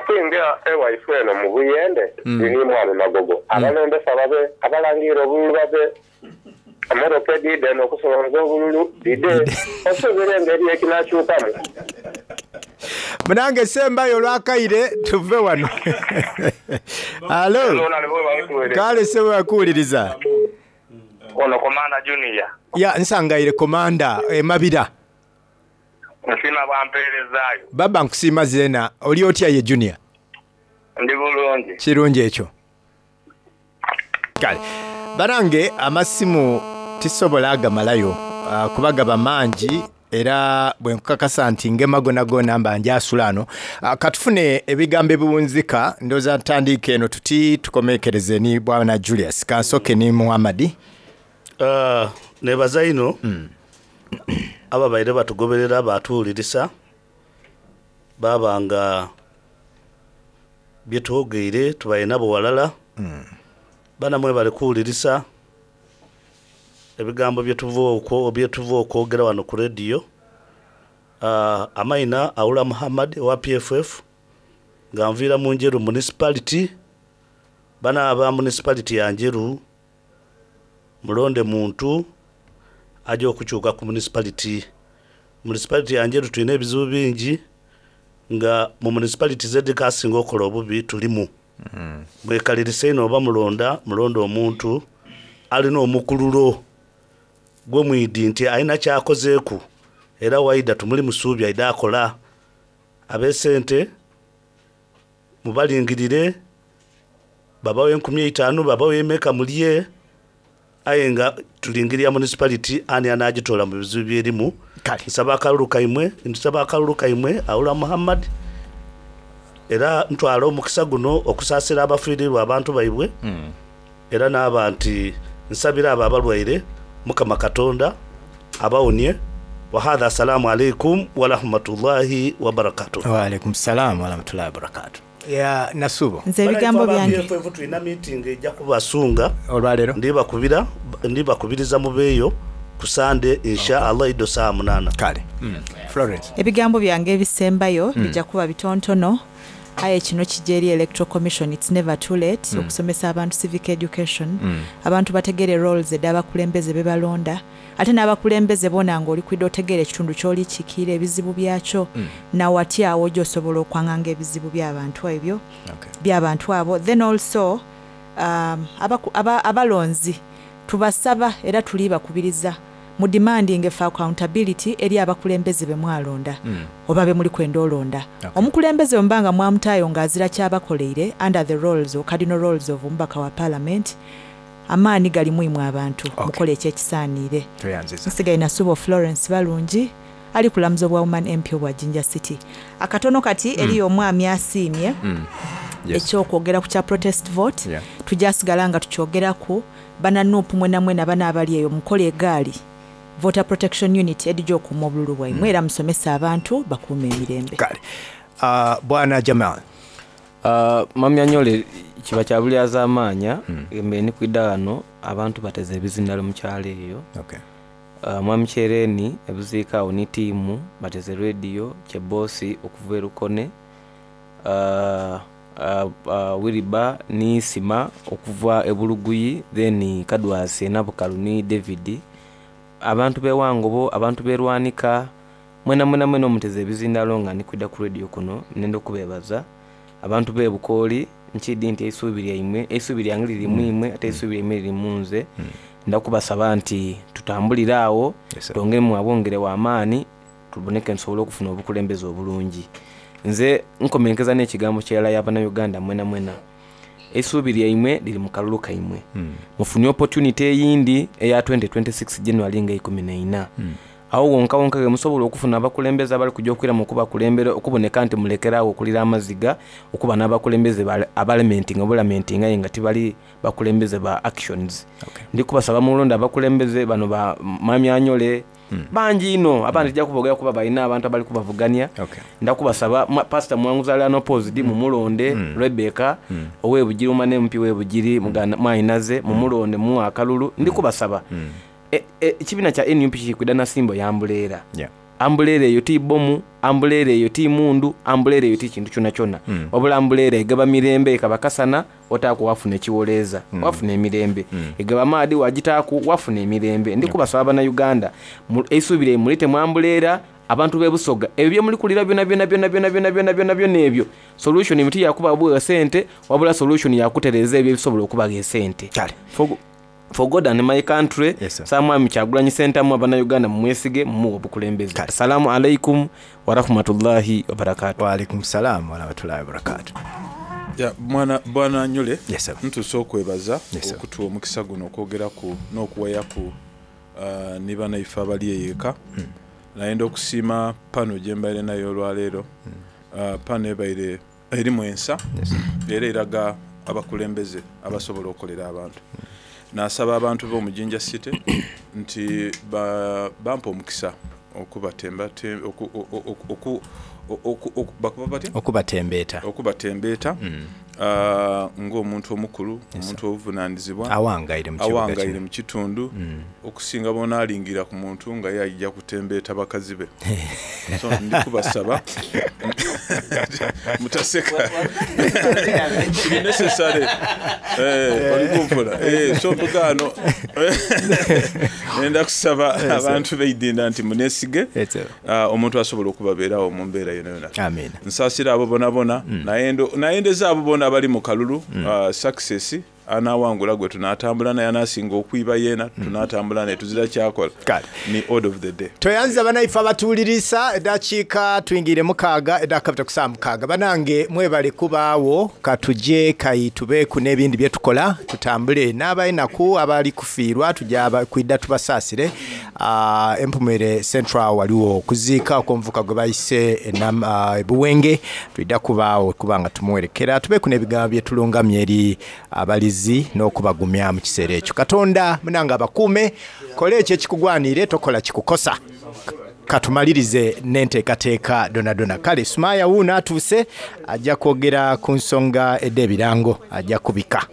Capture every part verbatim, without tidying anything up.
Ate nga ewaife eno mu Buyende, ni mwami Magogo, abalondesa babe, abalangira obululu babe, emotoka edhiidha eno okusolooza obululu dhidhe, osuubira engeri ekinakyukamu. Munange sembayo olwakaire tuve wano. Alo, kale sebo bakuwuliriza. Ono Komanda Junior. Ya nsangaire Komanda Emabira. Nsiima bwampeerezaayo. Baba nkusiima zeena. Oli otya ye Junior? Ndi bulungi. Kirungi ekyo. Kale banange amasimu tisobola agamalayo uh, kuba gaba mangi, era bwe nkukakasa nti ngema gona gona mba njasula ano. uh, katufune ebigambo ebiwunzika, ndowooza ntandike eno tuti tukomekereze ni bwana Julius. Kansoke ni Muhammadi. Uh, nebaza ino mm. ababaire batugoberera batuwulirisa babanga byetwogeire tubaire nabo walala mm. Bana mwe bali kuwulirisa ebigambo byetuva okwogera wano ku radio. Uh, amaina Aula Muhammad wa P F F nga nviira mu Njeru municipality. Bana aba municipality ya Njeru mulonde muntu aje okukyuka ku municipality. Municipality ya Njeru tulina ebizibu bingi nga mu municipality zedikasinga okola obubi tulimu. Mm. Mwekalirisa ino oba mulonda mulonda omuntu alina omukululo gwe mwidi nti alina kyakozeeku era waida tumuli musuubi aida akola. Ab'esente mubalingirire babawe enkumi eitaanu babawe emeka mulye, aye nga tulingirira municipality ani anagitola mu bizibu byerimu. Nsaba akalulu kaimwe, nsaba akalulu kaimwe Aula Muhammad, era ntwala omukisa guno okusaasira abafiirirwa abantu baibwe. Mm. Era n'aba nti nsabira abo abalwaire Mukama Katonda abawonie. Wa hadha assalamu alaikum wa rahmatullahi wa barakatuh. Wa alaikum salam wa rahmatullahi wa barakatuh. Ya Nasubo, nze ebigambo byange tulina meeting ejja kubasunga olwaleero, ndibakubira ndibakubiriza mubeeyo ku Sande insha Allah ido saa munana. Kale mm. Florence, ebigambo byange ebisembayo mm. bijja kuba bitontono. Aye kino kijja eri Electoral Commission, it's never too late mm. okusomesa abantu civic education. Mm. Abantu bategere roles ed'abakulembeze be balonda, ate n'abakulembeze bona ng'oli kwidde otegere ekitundu ky'oli kikiira ebizibu byakyo. Mm. Nawatya awo gy'osobola okwanganga ebizibu by'abantu ebyo. Okay. By'abantu abo. Then also um, abalonzi tubasaba era tuli bakubiriza mu demanding for accountability eri abakulembeze be mwalonda. Mm. Oba be muli kwenda olonda. Okay. Omukulembeze ombanga mwamutayo ng'azira kyabakoleire under the roles or cardinal roles of omubaka wa parliament, amaani gali muimu abantu. Okay. Mukole ekyekisaanire. Nsigaye Nasubo Florence Balungi ali kulamuza obwa Woman M P obwa Jinja City. Akatono kati mm. eriyo omwami asiimye. Mm. Yes. Ekyokwogera ku kya protest vote. Yeah. Tujasigala nga tukyogeraku bana N U P mwena mwena bana abali eyo mukole egaali Voter Protection Unit edijja okuuma obululu bwaimwe. Mm. Era musomesa abantu bakuume emirembe. Kale. Uh, Bwana Jamal. Uh, Mami Anyole kiba kya buli azamaanya. Mm. Embe ni kwidda wano abantu bateze ebizindalo mu kyalo eyo. Okay. Uh, Mwami Kyereni ebuziika awo ni tiimu bateze radio kyebosi okuva erukone. Uh, uh, uh, Wiriba ni Sima okuva ebuluguyi, then Kadwasi Nabukalu ni David. Abantu bewangobo, abantu berwanika mwena mwena mwena omuteze ebizindalo nga nikwidda ku radio kuno nenda okubebaza. Abantu bebukooli nkidi nti eisuubi lyaimwe, eisuubi lyange liri mu imwe ate eisuubi lyaimwe liri mu nze. Mm. Ndakubasaba nti tutambulire awo. Yes, twongere abongere w'amaani tuboneke nsobole okufuna obukulembeze obulungi. Nze nkomenkeza n'ekigambo ky'era y'Abannayuganda mwena mwena, eisuubi lyaimwe liri mu kalulu kaimwe. Mm. Mufunye opportunity eyindi eya twenty twenty-six January nga ikumi na ina. Mm. Awo wonka wonka ge musobola okufuna abakulembeze abali kujja okwiramu okubakulembera okuboneka nti mulekeraawo okulira amaziga okuba n'abakulembeze abalamentinga obulamentinga aye nga tibali bakulembeze ba actions. Okay. Ndi kubasaba mulonda abakulembeze bano ba Mwami Anyole. Mm. Bangi ino abandi tujja kubogera kuba balina abantu abali kubavuganya. Okay. Ndakubasaba Pastor Mwanguzi ali unopposed. Mm. Mumulonde. Mm. Rebecca. Mm. Owebugiri omwana M P webugiri. Mm. Mwayinaze mumulonde muwa akalulu. Ndi kubasaba. Mm. Ekibiina kya N U P kiri kwidda na simbo yambuleera. Yeah. Ambulera eyo ti bomu, ambulera eyo ti mundu, ambulera eyo ti kintu kyona kyona. Mm. Wabula ambulera egaba mirembe, ekaba kasana otaaku wafuna ekiwoleeza, Mm. wafuna emirembe. Mm. Egaba maadi wagitaaku wafuna emirembe. Ndi kubasaba bannayuganda eisuubire mulite mu ambulera. Abantu b'ebusoga ebyo byemuli kulira byona byona byona byona byona byona byona byona ebyo solution miti yakuba bwa sente, wabula solution yakutereza ebyo ebisobola okubaga esente. Kale. For, for God and my country. Yes, sir. Samwami Kyagulanyi Ssentamu, abannayuganda mumwesige, mumuwe obukulembeze. Kale. Assalamu alaikum warahmatullahi wabarakatu. Waalaikum salam warahmatullahi wabarakatu. Ya, mwana bwana Nyule. Yes, sir. Ntuuse okwebaza Yes, sir. okutuwa omukisa guno okwogeraku n'okuwayaku uh, ne bannaife abali eyeeka. Hmm. Nayenda okusiima pano gye mbaire nayo olwaleero. Uh, pano ebaire erimu ensa. Yes, sir. Era eraga abakulembeze abasobola okukolera abantu. Nasaba abantu b'omujinja city nti ba- bampa omukisa okubatemba te- oku- oku- oku- oku- oku- bakuba batya Okubatembeeta. okubatembeeta Mm. ah, ng'omuntu omukulu, omuntu obuvunaanyizibwa awangaire mu kibuga awangaire kino. mu kitundu, Mm. okusinga bonaalingira ku muntu nga ye ajja kutembeeta bakazi be. So ndikubasaba mutaseka, kiri necessary. Eh, olikunfuna. Eh, so mbugaano nenda kusaba abantu beidinda nti munesige Yes, sir. ah, omuntu asobola okubabeerawo mu mbeera yona yona. Amina. Nsaasira abo bona bona, nayendo- nayendeza abo bona abali mu kalulu ah, success. Anawangula gwe tunatambula naye, anasinga okwiba yeena tunatambula naye, tuzira kyakola. Kale. Ni order of the day. Tweyanziza banaife abatuwulirisa. Eddakiika tuyingire mukaaga, eddakiika kusaa mukaaga. Banange mwebale kubaawo, katuje kayi tubeeku n'ebindi bye tukola, tutambule n'abalinaku abali kufiirwa tujja aba- kwidda tubasaasire. Ah, Empumere Central waliwo okuziika okw'omuvuka gwe bayise enam- ah, ebuwenge, twidda kubaawo kubanga tumuwerekera, tubeeku n'ebigambo bye tulungamya eri abalizi n'okubagumya mu kiseera ekyo. Katonda munange abakuume, kola ekyo ekikugwanire, tokola kikukosa. Katumalirize n'enteekateeka donadona. Kale Sumaya wuuno atuuse, ajja kwogera ku nsonga ed'ebirango, ajja kubika.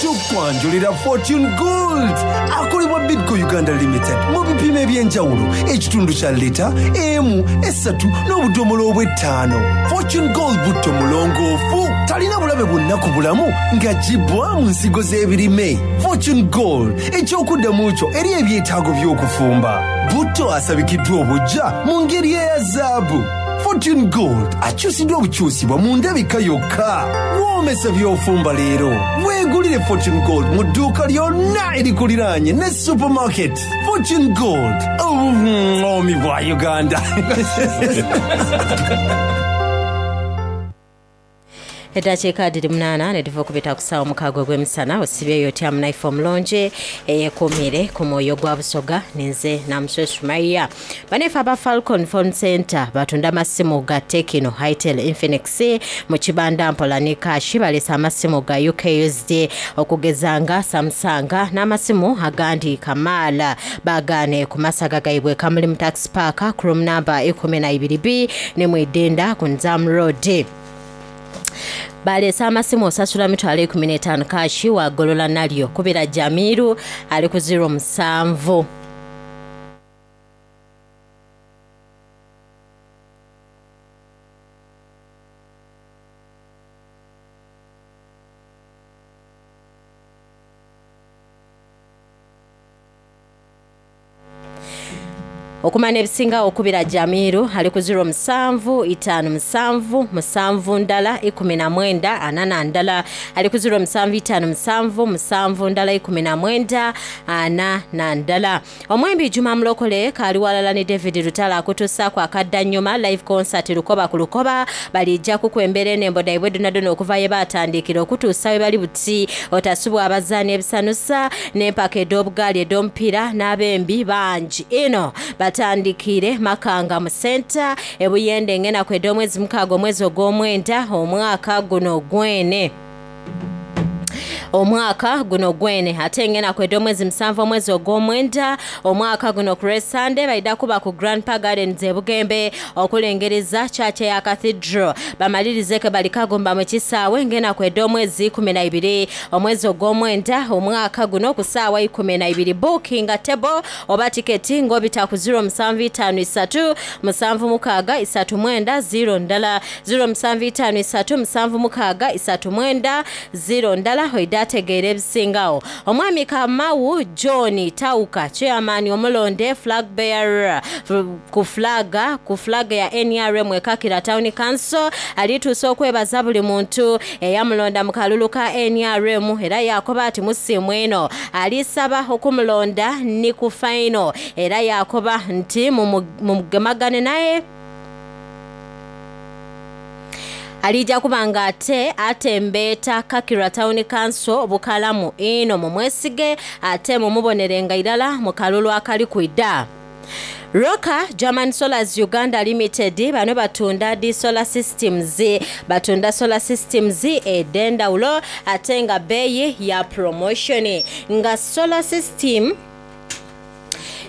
Tukwanjulira Fortune Gold akolebwa Bidco Uganda Limited mu bipimo ebyenjawulo, ekitundu kya lita emu, esatu n'obudomola obw'ettaano. Fortune Gold butto mulongoofu, talina bulabe bwonna ku bulamu ng'aggyibwa mu nsigo z'ebirime. Fortune Gold ekyokuddamu kyo eri ebyetaago by'okufumba. Butto asabikiddwa obujja mu ngeri eya zaabu. Fortune Gold akyusiddwa obukyusibwa mu ndabika yokka. Woomesa by'ofumba leero, weegulire Fortune Gold mu dduuka lyonna erikuliraanye ne supermarket. Fortune Gold, obuŋoomi bwa Uganda. Eddakiika adiri munaana ne tuva okubita ku ssaawa mukaaga ogw'emisana. Osibyeyo otya munaife omulungi eyeekuumire ku mwoyo gwa Busoga? Ninze Namuswe Sumaiya. Banaife aba Falcon Phone Center batunda amasimu ga Tekino, Hitel, Infinix mu kibanda mpola ne kashi. Baleese amasimu ga U K U S D okugeza nga Samsung n'amasimu agandi kamaala. Bagaane ku masaga gaibwe Kamulimu Tax Park, room number ikumi na ibiri B, ne mwidinda ku Nzam Road. Baleese amasimu, osasula mitwalo ekumi n'etaano kashi wagolola nalyo. Kubira Jamiru ali ku zero musanvu okumanya ebisingawo. Okubira Jamiru ali ku zero musanvu itaano musanvu musanvu ndala ikumi na mwenda ana na ndala, ali ku zero musanvu itaano musanvu musanvu ndala ikumi na mwenda ana na ndala. Omwembi Juma Mulokole kaali walala ne David Lutala akutuusaako akadda nnyuma live concert Lukoba ku Lukoba. Balijja kukwembera enembo daibwe donadona okuva ye batandikira okutuusa we bali buti. Otasubwa abazaani ebisanusa n'empaka ed'obugaali ed'omupiira n'abembi bangi ino. Batandikire Makanga mu senta ebuyende engenaku ed'omwezi mukaaga omwezi ogw'omwenda omwaka guno gwene. Omwaka guno gwene ate ngena kwedde omwezi musanvu omwezi ogw'omwenda omwaka guno ku Sunday baida kuba ku Grandpa Gardens e Bugembe okulengereza church ya Cathedral bamalirize ke balikagomba mu kisaawe ngena kwedde omwezi kumi na ibiri omwezi ogw'omwenda omwaka guno ku ssaawa ikumi na ibiri. Booking table oba tiketi ng'obita ku zero musanvu itaano isatu musanvu mukaaga isatu mwenda zero ndala zero musanvu itaano isatu musanvu mukaaga isatu mwenda zero ndala oida ategeera ebisingawo. Omwami Kamau John Tauka chairman omulonde flag bearer ku flaga ku flag ya N R M Ekakira Town Council alituusa okwebaza buli muntu eyamulonda mu kalulu ka N R M era yakoba ati musiimu eno alisaba okumulonda ni ku final era yakoba nti mumugemagane naye alija kubanga ate atembeeta Kakira Town Council bukalamu ino mumwesige ate mumubonerenga irala mu kalulu akali kwida. Roka German Solars Uganda Limited bano batunda di solar systems batunda solar systems edendawulo ate nga beeyi ya promotion nga solar system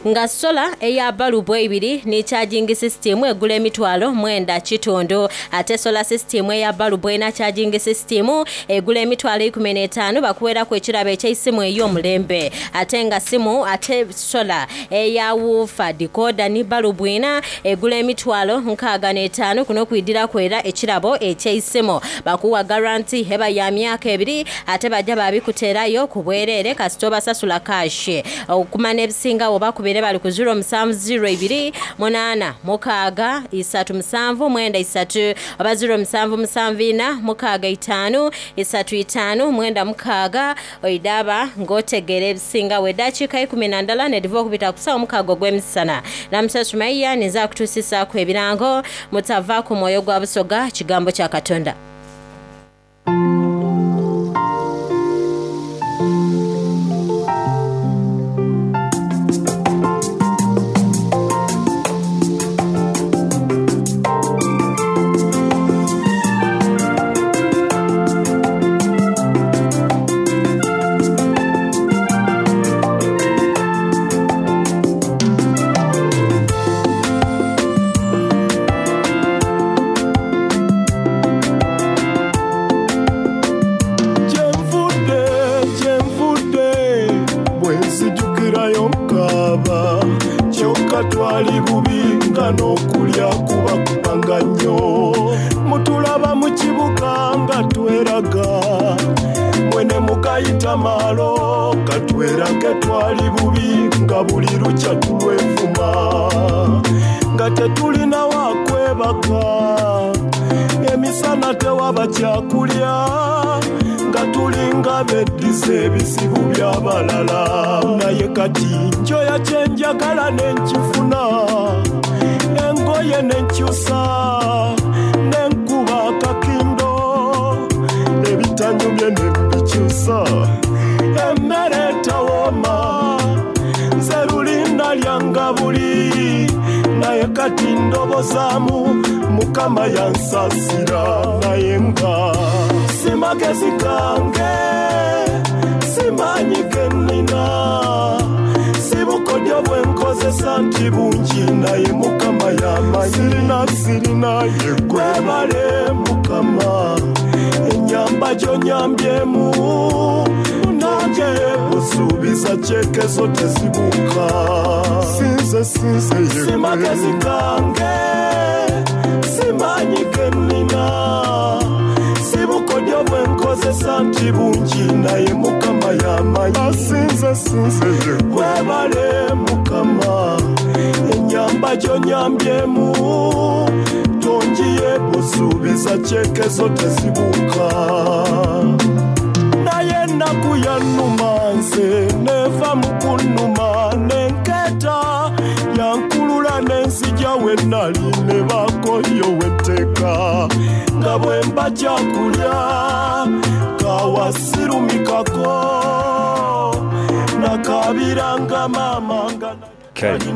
nga sola eya balubu ebiri ni charging system egula emitwalo mwenda kitundu ate solar system eya balubu ena charging system egula emitwalo ikumi n'etaano bakuweerako ekirabo eky'essimu ey'omulembe ate nga simu ate sola eya woofer decoder ni balubu ena egula emitwalo nkaaga n'etaano kuno kuidirako era ekirabo eky'essimu bakuwa guarantee eba ya myaka ebiri ate bajja babikuteerayo ku bwereere kasita obasasula cash okumanya ebisingawo bakubira bali ku zero musanvu zero ibiri munaana mukaaga isatu musanvu mwenda isatu oba zero musanvu musanvu ina mukaaga itaano isatu itaano mwenda mukaaga oidaba ng'otegeera ebisingawo. Eddakiika ikumi na ndala nediva okubita ku ssaawa mukaaga ogw'emisana. Namusasumaiya ninza akutuusisaako ebirango mutava ku mwoyo gwa Busoga kigambo kya Katonda.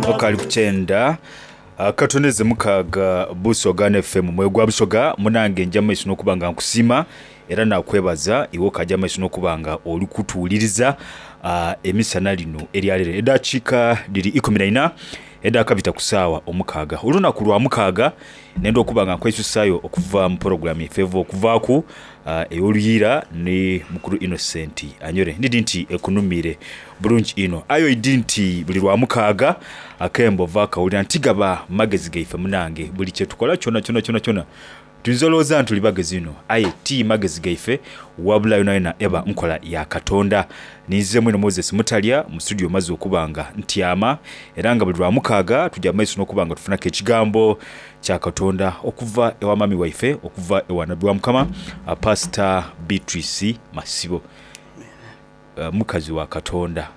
Okali kuchenda Akatoneze mukaaga Busoga F M mwoyo gwa Busoga munange nja maiso n'okuba nga nkusiima era nakwebaza iwe okaja maiso n'okuba nga oli kutuwuliriza uh, emisana lino eryaleero eddakiika dhiri ikumi na ina edakabita ku ssaawa omukaaga olunaku lwa mukaaga nenda okuba nga nkwesusayo okuva mu porogulamu yaife eva okuvaaku uh, ey'oluyiira ni mukulu Innocent Anyore ndidi nti ekunumire bulungi ino ayo idi nti buli lwa mukaaga akembo va kawulira nti gaba magezi gaife munange buli kyetukola kyona kyona kyona kyona tuyinza olowooza nti tuli bagezi ino aye ti magezi gaife wabula yona yona eba nkola ya Katonda. Ninze mwino Moses Mutalya mu studio maze okuba nga ntyama era nga buli lwa mukaaga tujja maiso n'okuba nga tufunako ekigambo kya Katonda okuva ewa mami waife okuva ewa nabbi wa Mukama Pastor Beatrice Masibo, uh, mukazi wa Katonda.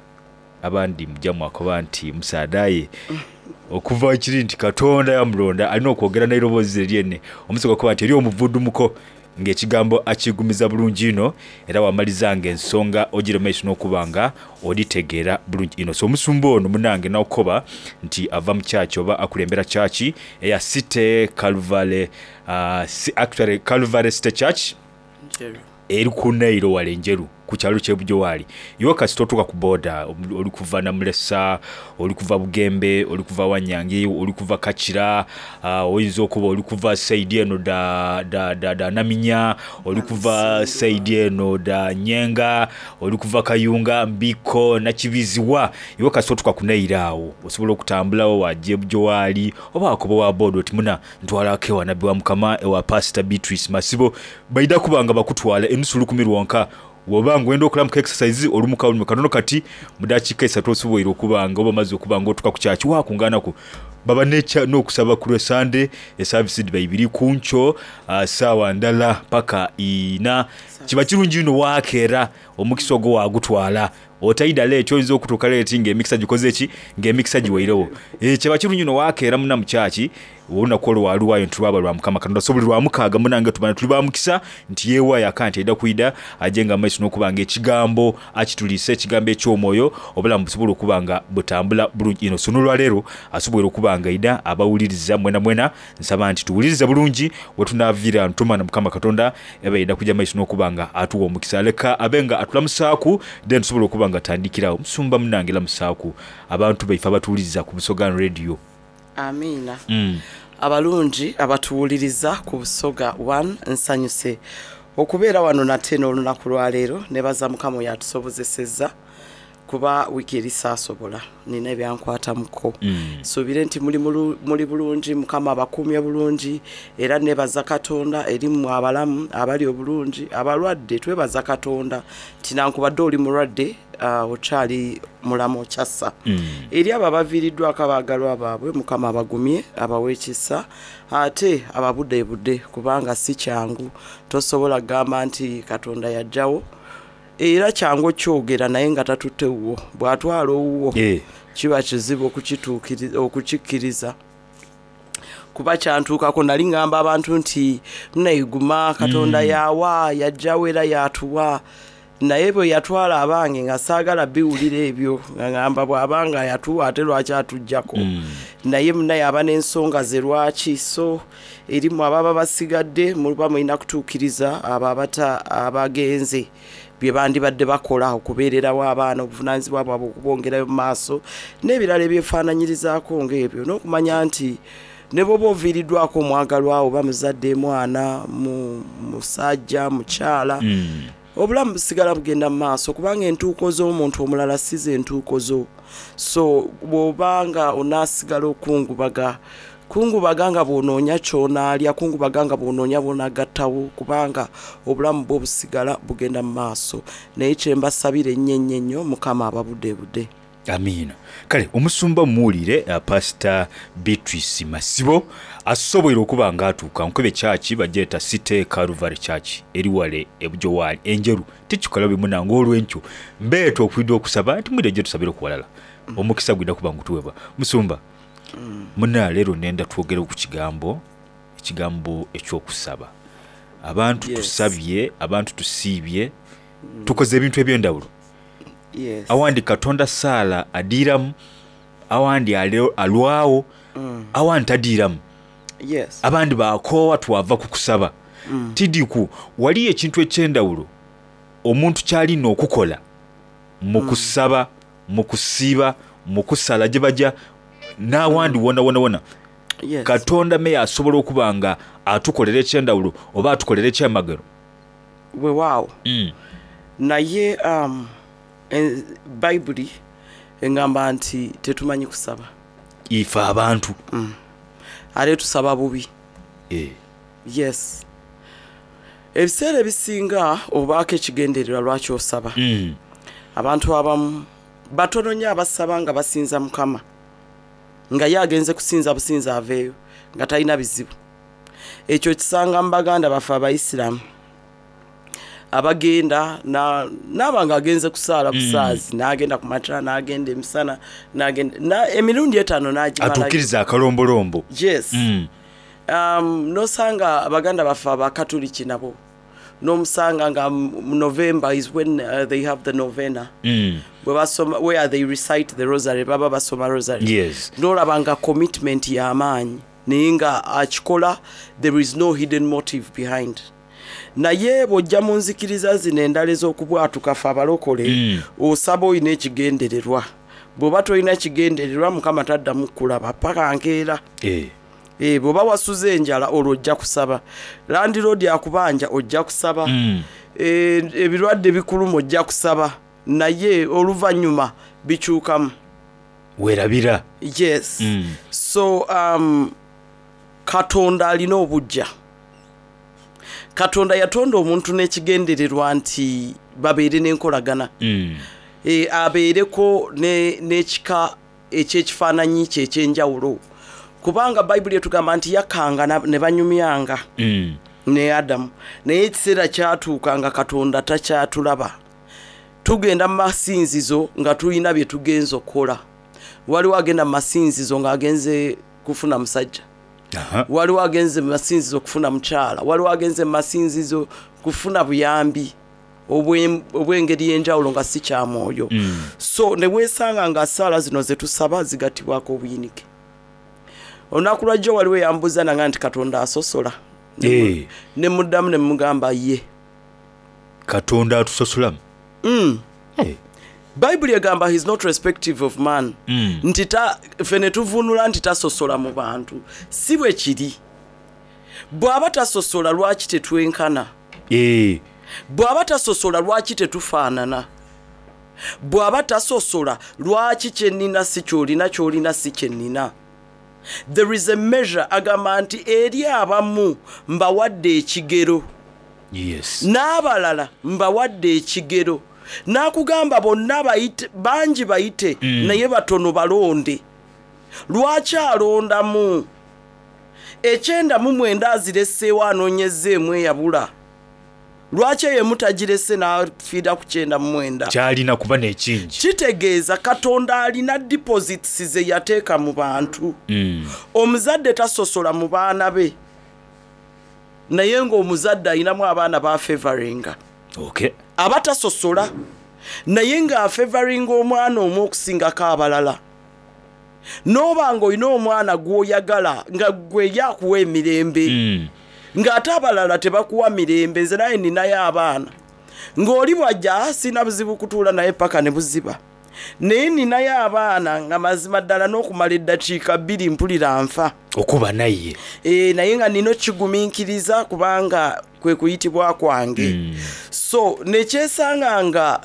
Abandi mujja mwakoba nti musaadaye okuva kiri nti Katonda yamulonda alina okwogera n'eiroboozi lyene omusoga kuba nti eri omuvudumuko ng'ekigambo akigumiza bulungi ino era wamaliza ng'ensonga ogire maiso n'okuba nga oditegeera bulungi ino. So omusumba ono munange nakukoba nti ava mu kyaki oba akulembera kyaki eya City Calvary, uh, actually Calvary City Church eri ku Nairo wale Njeru ku kyalo ky'e Bujowaali. Iwe kasita otuuka ku boda oli kuva Namulesa, oli kuva Bugembe, oli kuva Wanyangi, oli kuva Kakira, uh, oyinza okuba oli kuva saidi eno da, da, da, da Naminya, oli kuva saidi eno da Nyenga, oli kuva Kayunga, Mbiko, Nakibiziwa. Iwe kasita otuuka ku Nairo awo osobola okutambulawo wajja e Bujowaali oba wakoba wa boda oti muna ntwalako ewa nabbi wa Mukama ewa Pastor Beatrice Masibo, baida kuba nga bakutwala enusu lukumi lwonka. Woba ngwenda okulamuka exercise olumuka olumuka katono kati mudakiika esatu osoboire okuba nga oba maze okuba nga otuuka ku kyaki wakunganaku baba necha n'okusaba ku lwe Sunday eservice diba ibiri kuncho uh, sawa ndala paka ina. Kiba kirungi ino wakeera omukisa ogwo wagutwala otaida leeti oyinza okutuuka leeti ng'emikisa gikoze ki ng'emikisa giwairewo. E, kiba kirungi ino wakeera muna mu kyaki olunaku olwo waluwayo nti lwaba lwa Mukama Katonda. So buli lwa mukaaga munange tubana tuli ba mukisa nti yeewaayo aka nti aida kwida aje nga maiso n'okuba nga ekigambo akituliisa ekigambo eky'omwoyo obulamu busobola okuba nga butambula bulungi ino. So n'olwaleero asobola okuba nga aida abawuliriza mwena mwena nsaba nti tuwulirize bulungi wetunaaviira ntumana Mukama Katonda eba aida kujja maiso n'okuba nga atuwa omukisa leka abe nga atulamusaaku then tusobola okuba nga tandikirawo. Musumba munange lamusaaku abantu baife abatuwuliriza ku Busoga Radio. Amiina. Mm. Abalungi abatuwuliriza ku Busoga one, nsanyuse okubeera wano nate n'olunaku lwaleero. Nebaza Mukama oyo atusobozesezza kuba wiiki eri saasobola nina ebyankwatamuko. Mm. Suubire nti muli muli bulungi, Mukama abakuumye bulungi era nebaza Katonda eri mmwe abalamu abali obulungi abalwadde twebaza Katonda nti nankubadde oli mulwadde uh, okyali mulamu okyassa. Mm. Eri abo abaviiriddwako abaagalwa baabwe Mukama abagumye abawe ekisa ate ababudebudde kubanga si kyangu tosobola kugamba nti Katonda yajjawo era kyangu okyogera naye nga tatutte wuwo bw'atwala owuwo yeah. Kiba kizibu okukituukiriza okukikkiriza kuba kyantuukako nali ngamba abantu nti munaiguma Katonda Mm. yawa yajjawo era yatuwa naye bwe yatwala abange nga saagala biwulira ebyo nga ngamba bw'abanga yatuwa ate lwaki atuggyako. Mm. Naye munaye aba n'ensonga ze lwaki so erimu ababa basigadde muba mulina kutuukiriza abo abata abagenze bye bandibadde bakola okubeererawo abaana obuvunaanyizibwa bwabwe okubongerayo mu maaso n'ebirala ebyefaananyirizaako ng'ebyo n'okumanya nti ne bw'oba oviiriddwako omwagalwa oba muzadde mwana mu musajja mukyala Mm. obulamu busigala bugenda mu maaso kubanga entuuko z'omuntu omulala si ze ntuuko zo. So bw'obanga onaasigala okungubaga kungubaga nga bw'onoonya ky'onaalya kungubaga nga bw'onoonya bw'onaagattawo kubanga obulamu bwo busigala bugenda mu maaso naye kye mbasabira ennyo ennyo ennyo Mukama ababudebudde. Amiina. Kale omusumba muwulire uh, Pastor Beatrice Masibo asoboire okuba nga atuuka nkube kyaki bagyeta City Calvary Church eri wale e Bujowaali Enjeru tikikola bimunanga olw'enkyo mbeeta okwidda okusaba nti mwidde gye tusabire okuwalala omukisa gwidda kuba ngutuweebwa. Musumba Mm. muna leero nenda twogere ku kigambo ekigambo ekyokusaba. Abantu Yes. tusabye, abantu tusiibye, tukoze ebintu eby'endawulo. Yes. Awandi Katonda saala adiiramu, awandi alwawo, Mm. Awandi tadiiramu. Yes. Abandi bakoowa twava ku kusaba. Mm. Tidiku waliyo ekintu ekyendawulo omuntu kyalina okukola mu Mm. kusaba, mu kusiiba, mu kusala gye bajja n'awandi wona wona wona. Yes. Katonda meya asobola okuba nga atukolera ekyendawulo oba atukolera ekyamagero. Weewaawo. Mm. Naye um, e, bayibuli engamba nti tetumanyi kusaba. Ife abantu. Mm. Ate tusaba bubi. Eh. Yes, ebiseera ebisinga obaako ekigendererwa lwaki osaba. Mm. Abantu abamu batono nnyo abasaba nga basinza Mukama, nga ye agenze kusinza businza aveeyo nga talina bizibu. Ekyo kisanga mu baganda baffe abaisiramu abagenda na- naaba nga agenze kusaala busaazi, n'agenda ku makya, n'agenda emisana, n'agenda na- emirundi etaano n'agimalayo. Atuukiriza akalombolombo. Yes. Mm. um, nosanga abaganda baffe abakatuliki nabo nomusanga nga mu November is when uh, they have the novena, Mm. bwe basoma, where they recite the rosary, baba basoma rosary. Yes. Nolaba nga commitment y'amaanyi, naye nga akikola there is no hidden motive behind. Naye bw'ojja mu nzikiriza zino endala ez'okubwatuka, fe abalokole, Mm. osaba olina ekigendererwa. Bw'oba tolina kigendererwa, Mukama taddamu kulaba paka nkeera. Eh. Eh, bw'oba wasuze enjala, olwo ojja kusaba. Landiroodi akubanja, ojja kusaba. Mm. Eh, ebirwadde bikuluma, ojja kusaba, naye oluvannyuma bikyukamu. Werabira. Yes. Mm. So um, Katonda alina obujja. Katonda yatonda omuntu n'ekigendererwa nti babeere n'enkolagana. Mm. e, abeereko ne- n'ekika ekyekifaananyi kye ekyenjawulo, kubanga Bayibuli etugamba nti yakanga na- ne banyumyanga Mm. ne Adamu. Naye ekiseera kyatuuka nga Katonda takyatulaba. Tugenda mu masinzizo nga tulina bye tugenza okukola. Waliwo agenda mu masinzizo ng'agenze kufuna musajja, Aha. waliwo agenze mu masinzizo kufuna mukyala, waliwo agenze mu masinzizo kufuna buyambi obwe- obw'engeri y'enjawulo nga si kya mwoyo. Mm. So ne weesanga nga saala zino ze tusaba zigattibwako obuyinike. Olunaku lwajjo waliwo eyambuuza nanga nti Katonda asosola. Eh. Ne muddamu ne mugamba ye. Katonda atusosolamu. Mm. Eh. Bayibuli egamba he's not respective of man. Mm. Nti ta- ffe ne tuvunula nti tasosola mu bantu. Si bwe kiri. Bw'aba tasosola, lwaki tetwenkana? Eh. Bw'aba tasosola, lwaki tetufaanana? Bw'aba tasosola, lwaki kyennina si kyolina, kyolina si kyennina? There is a measure. Agamba nti eri abamu mbawadde ekigero, Yes. n'abalala mbawadde ekigero. N'akugamba bonna bayite, bangi bayite, Mm. naye batono balonde. Lwaki alondamu ekyenda mu mwenda azireseewo, anoonyezza emu eyabula? Lwaki eyo emu tagirese n'afiira ku kyenda mu mwenda? Kyalina kuba n'ekingi. Kitegeeza Katonda alina deposits ze yateeka mu bantu. Mm. Omuzadde tasosola mu baana be, naye ng'omuzadde alinamu abaana bafevaringa. Okay. Aba tasosola, naye ng'afevaringa omwana omu okusingako abalala. N'oba ng'olina omwana gw'oyagala nga gwe yakuwa emirembe, Mm. ng'ate abalala tebakuwa mirembe. Nze naye ninayo abaana ng'oli bwajja, "Ah, sina buzibu kutuula naye paka ne buziba," naye ninayo abaana nga mazima ddala n'okumala eddakiika bbiri mpulira nfa Okuba naye. e, naye nga nina okigumiikiriza kubanga kwe kuyitibwa kwange. Mm. So nekyesanga nga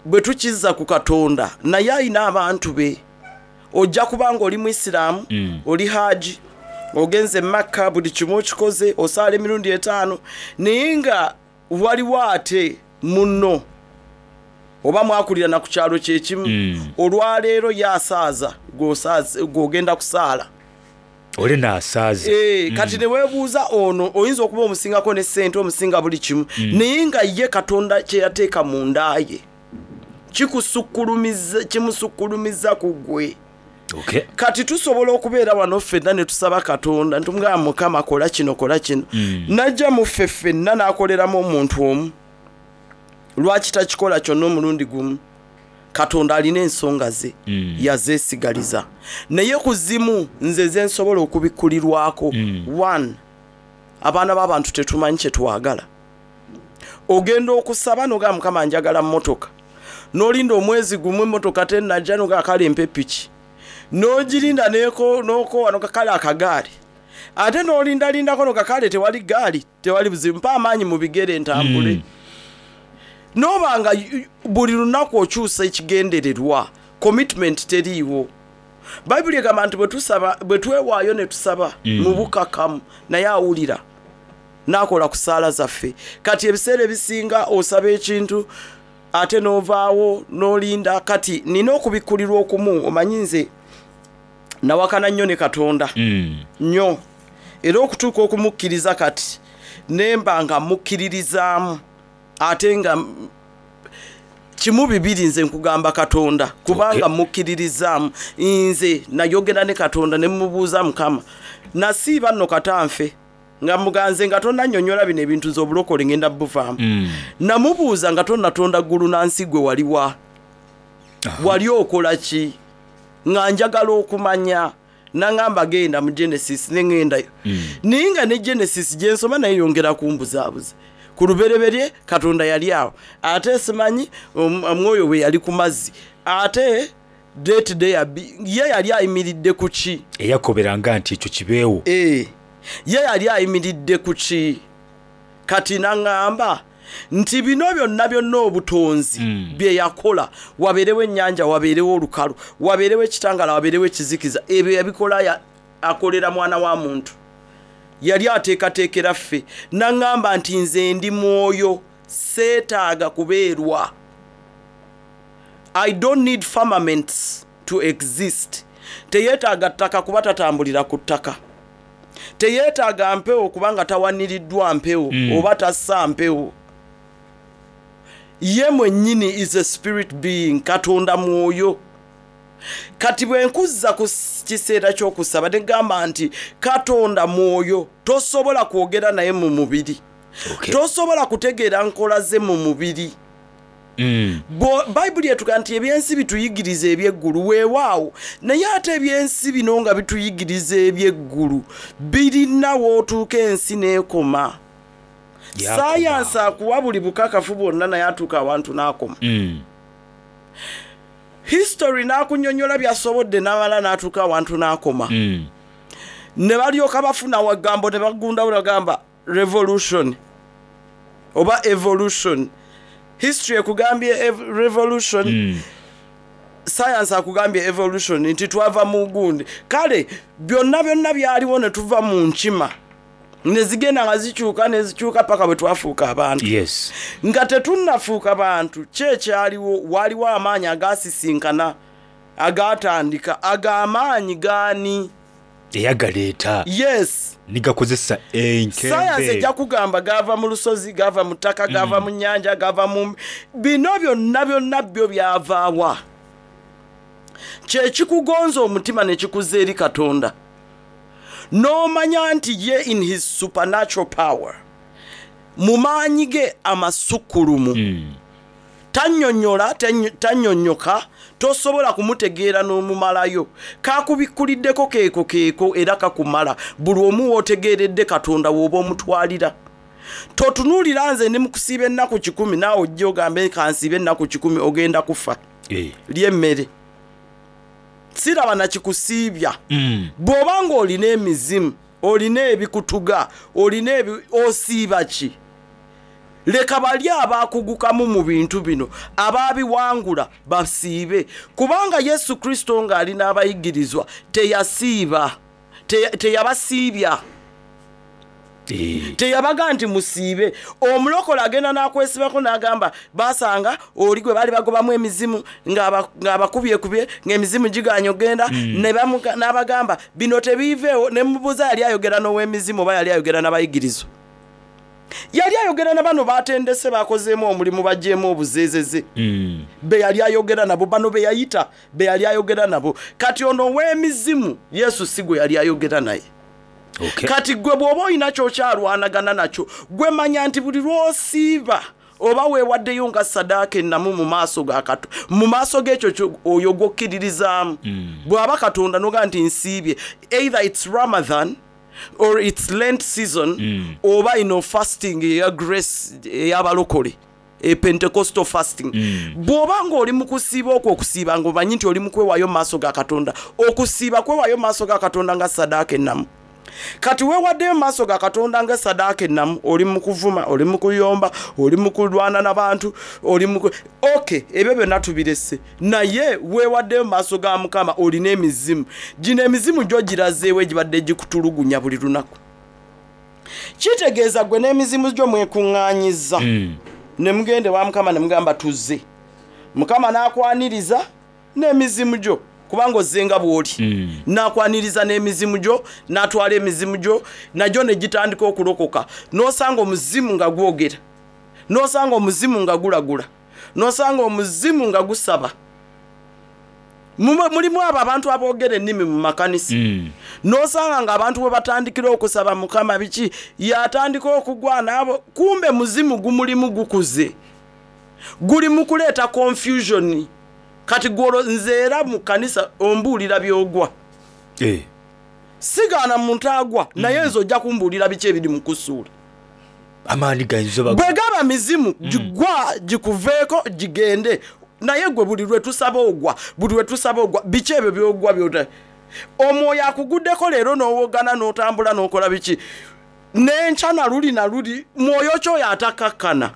bwe tukizza ku Katonda, naye alina abantu be. Ojja kubanga oli muisiraamu, Mm. oli haji, ogenze Makka, buli kimu okikoze, osaala emirundi etaano, naye nga waliwo ate munno oba mwakulirana ku kyalo kyekimu, Mm. olwaleero ye asaaza, gw'osaaza- gw'ogenda kusaala. Ole naasaaza. Eh, kati ne weebuuza ono oyinza okuba omusingako ne ssente, omusinga buli kimu, Mm. naye nga ye Katonda kye yateeka mu nda ye kikusukkulumiza, kimusukkulumiza ku ggwe. Okay. Kati tusobola okubeera wano ffenna ne tusaba Katonda ntumugamba, "Mukama, kola kino, kola kino." Mm. Najja mu ffe ffenna n'akoleramu omuntu omu. Lwaki takikola kyonna omulundi gumu? Katonda alina ensonga ze Mm. yazeesigaliza, naye ku zimu nze zensobola okubikkulirwako. Mm. One, abaana b'abantu tetumanyi kye twagala. Ogenda okusaba nogamba, "Mukama, njagala mmotoka," n'olinda omwezi gumu, emmotoka tenajja, nogaa kale mpa epiki, n'ogirinda neko- n'okoowa, noga kale akagaali, ate n'olindalindako noga kale tewali gaali, tewali buzibu, mpa amaanyi mu bigere ntambule. Mm. Noba nga y- buli lunaku okyusa ekigendererwa, commitment teriiwo. Bayibuli egamba nti bwe tusaba, bwe twewaayo ne tusaba Mm. mu bukakamu, naye awulira n'akola ku saala zaffe. Kati ebiseera ebisinga osaba ekintu ate n'ovaawo n'olinda. Kati nina okubikkulirwa okumu. Omanyi nze nawakana nnyo ne Katonda Mm. nnyo, era okutuuka okumukkiriza kati nemba nga mukkiririzaamu, ate nga m- kimu bibiri, nze nkugamba Katonda kubanga Okay. mukkiririzaamu. Nze nayogera ne Katonda ne mubuuza, "Mukama, nasiiba nno katanfe nga muganze nga tonnannyonnyola bino ebintu, nze obulokole ngenda buvaamu." Mm. Namubuuza, "Nga tonnatonda ggulu na nsi, gwe waliwa? Wali okola ki? Nga njagala okumanya." Naŋŋamba, "Genda mu Genesis." Ne ŋŋendayo, naye nga ne Genesis gyensoma naye yongera kumbuzaabuza. Ku lubereberye Katonda yali awo, ate simanyi om- omwoyo bwe yali ku mazzi, ate date day ye yali ayimiridde ku ki? Eyakoberanga nti ekyo kibeewo. Eh, ye yali ayimiridde ku ki? Kati naŋŋamba nti bino byonna byonna obutonzi Mm. bye yakola, wabeerewo ennyanja, wabeerewo olukalu, wabeerewo ekitangala, wabeerewo ekizikiza, ebyo yabikola ya- akolera mwana wa muntu, yali ateekateekera ffe. Naŋŋamba nti nze ndi mwoyo, seetaaga kubeerwa. I don't need firmaments to exist. Teyeetaaga ttaka kuba tatambulira ku ttaka, teyeetaaga mpewo kubanga tawaniriddwa mpewo Mm. oba tassa mpewo. Ye mwennyini is a spirit being. Katonda mwoyo. Kati bwe nkuzza ku s- kiseera ky'okusaba, negamba nti Katonda mwoyo, tosobola kwogera naye mu mubiri. Okay. Tosobola kutegeera nkola ze mu mubiri. Mm. Bo- bayibuli etuga nti ebyensi bituyigiriza ebyeggulu. Weewaawo, naye ate ebyensi bino nga bituyigiriza ebyeggulu, birina wootuuka ensi n'ekoma. Yakoma. Sayansi akuwa buli bukakafu bwonna, naye atuuka awantu n'akoma. Mm. History n'akunyonyola byasobodde, n'amala n'atuuka awantu n'akoma. Mm. Ne balyoka bafuna wagambo ne bagundawo, bagamba revolution oba evolution. History ekugambye ev- revolution, Mm. science akugambye evolution, nti twava mu gundi. Kale byonna byonna byaliwo ne tuva mu nkima, ne zigenda nga zikyuka ne zikyuka paka bwe twafuuka abantu. Yes. Nga tetunnafuuka bantu, ki ekyaliwo? Waliwo amaanyi agasisinkana, agatandika. Ag'amaanyi gaani? Eyagaleeta Yes. nigakozesa Sayansi enkembe. ejja kugamba gava mu lusozi, gava mu ttaka, gava mu nnyanja, gava mu bino byonna byonna. Byo byavaawa? Kyekikugonza omutima ne kikuza eri Katonda, n'omanya nti ye in his supernatural power, mu maanyi ge amasukkulumu, Mm. tannyonnyola, tanny- tannyonnyoka, tosobola kumutegeera n'omumalayo. Kakubikkuliddeko keeko keeko era kakumala. Buli omu w'otegeeredde Katonda w'oba omutwalira. Totunuulira nze ndi mukusiiba ennaku kikumi, naawe ojja ogambe kansiibe ennaku kikumi, ogenda kufa. Eh. Ly'emmere siraba nakikusiibya. Mm. Bw'oba ng'olina emizimu, olina ebikutuga, olina ebi, osiiba ki? Leka bali abakugukamu mu bintu bino, abaabiwangula, basiibe. Kubanga Yesu Kristo ng'ali n'abayigirizwa teyasiiba, Te- teyabasiibya. Eh. Teyabaga nti musiibe. Omulokole agenda n'akwesibako n'agamba basanga oli gwe baali bagobamu emizimu ng'aba- ng'abakubyekubye, ng'emizimu giganye ogenda, ne bamuga- n'abagamba bino tebiiveewo. Ne mubuuza, yali ayogera n'ow'emizimu oba yali ayogera n'abayigirizwa? Yali ayogera na bano batendese, bakozeemu omulimu, baggyemu obuzeezeze. Mm. Be yali ayogera nabo, bano be yayita, be yali ayogera nabo. Kati ono ow'emizimu Yesu si gwe yali ayogera naye. Okay. Kati gwe bw'oba olina kyokyalwanagana nakyo, gwe manya nti buli lw'osiiba Oba weewaddeyo nga sadaaka ennamu mu maaso ga Kato, mu maaso g'ekyo kyo- oyo gw'okkiririzaamu. Bw'aba Katonda noga nti nsiibye, either it's Ramadan or it's Lent season, oba ino fasting eya grace ey'abalokole, e Pentecostal fasting. Bw'oba ng'oli mu kusiiba okwo, okusiiba ng'omanyi nti oli mu kwewaayo mu maaso ga Katonda, okusiiba kwewaayo mu maaso ga Katonda nga sadaaka ennamu. Kati weewaddeyo mu maaso ga Katonda nga sadaaka ennamu, oli mu kuvuma, oli mu kuyomba, oli mu kulwana n'abantu, oli mu ku- ok, ebyo byonna tubirese, naye weewaddeyo mu maaso ga Mukama, olina emizimu gino. Emizimu gyo girazeewo egibadde gikutulugunya buli lunaku. Kitegeeza gwe n'emizimu gyo mwekuŋŋaanyiza ne mugende wa Mukama ne mugamba tuzze. Mukama n'akwaniriza n'emizimu gyo, kubanga ozzenga bw'oli, n'akwaniriza n'emizimu gyo, n'atwala emizimu gyo nagyo ne gitandika okulokoka. N'osanga omuzimu nga gwogera, n'osanga omuzimu nga gulagula, n'osanga omuzimu nga gusaba. Mume- mulimu abo abantu aboogera ennimi mu makanisa, n'osanga nga abantu bwe batandikira okusaba Mukama biki, yatandika okugwa naabo, kumbe muzimu gumulimu gukuze, guli mu kuleeta confusion. Kati gwolo nze era mu kanisa ombuulira byogwa. Eh. Sigaana muntu agwa, naye nze ojja kumbuulira biki ebiri mu kusuula. Amaanyi gayinza oba Bwe gaba mizimu, gigwa gikuveeko gigende, naye gwe buli lwe tusaba ogwa, buli lwe tusaba ogwa, biki ebyo byogwa byota? Omwoyo akuguddeko leero n'owogana n'otambula n'okola biki, n'enkya na luli na luli, mwoyo kyoyo atakakkana.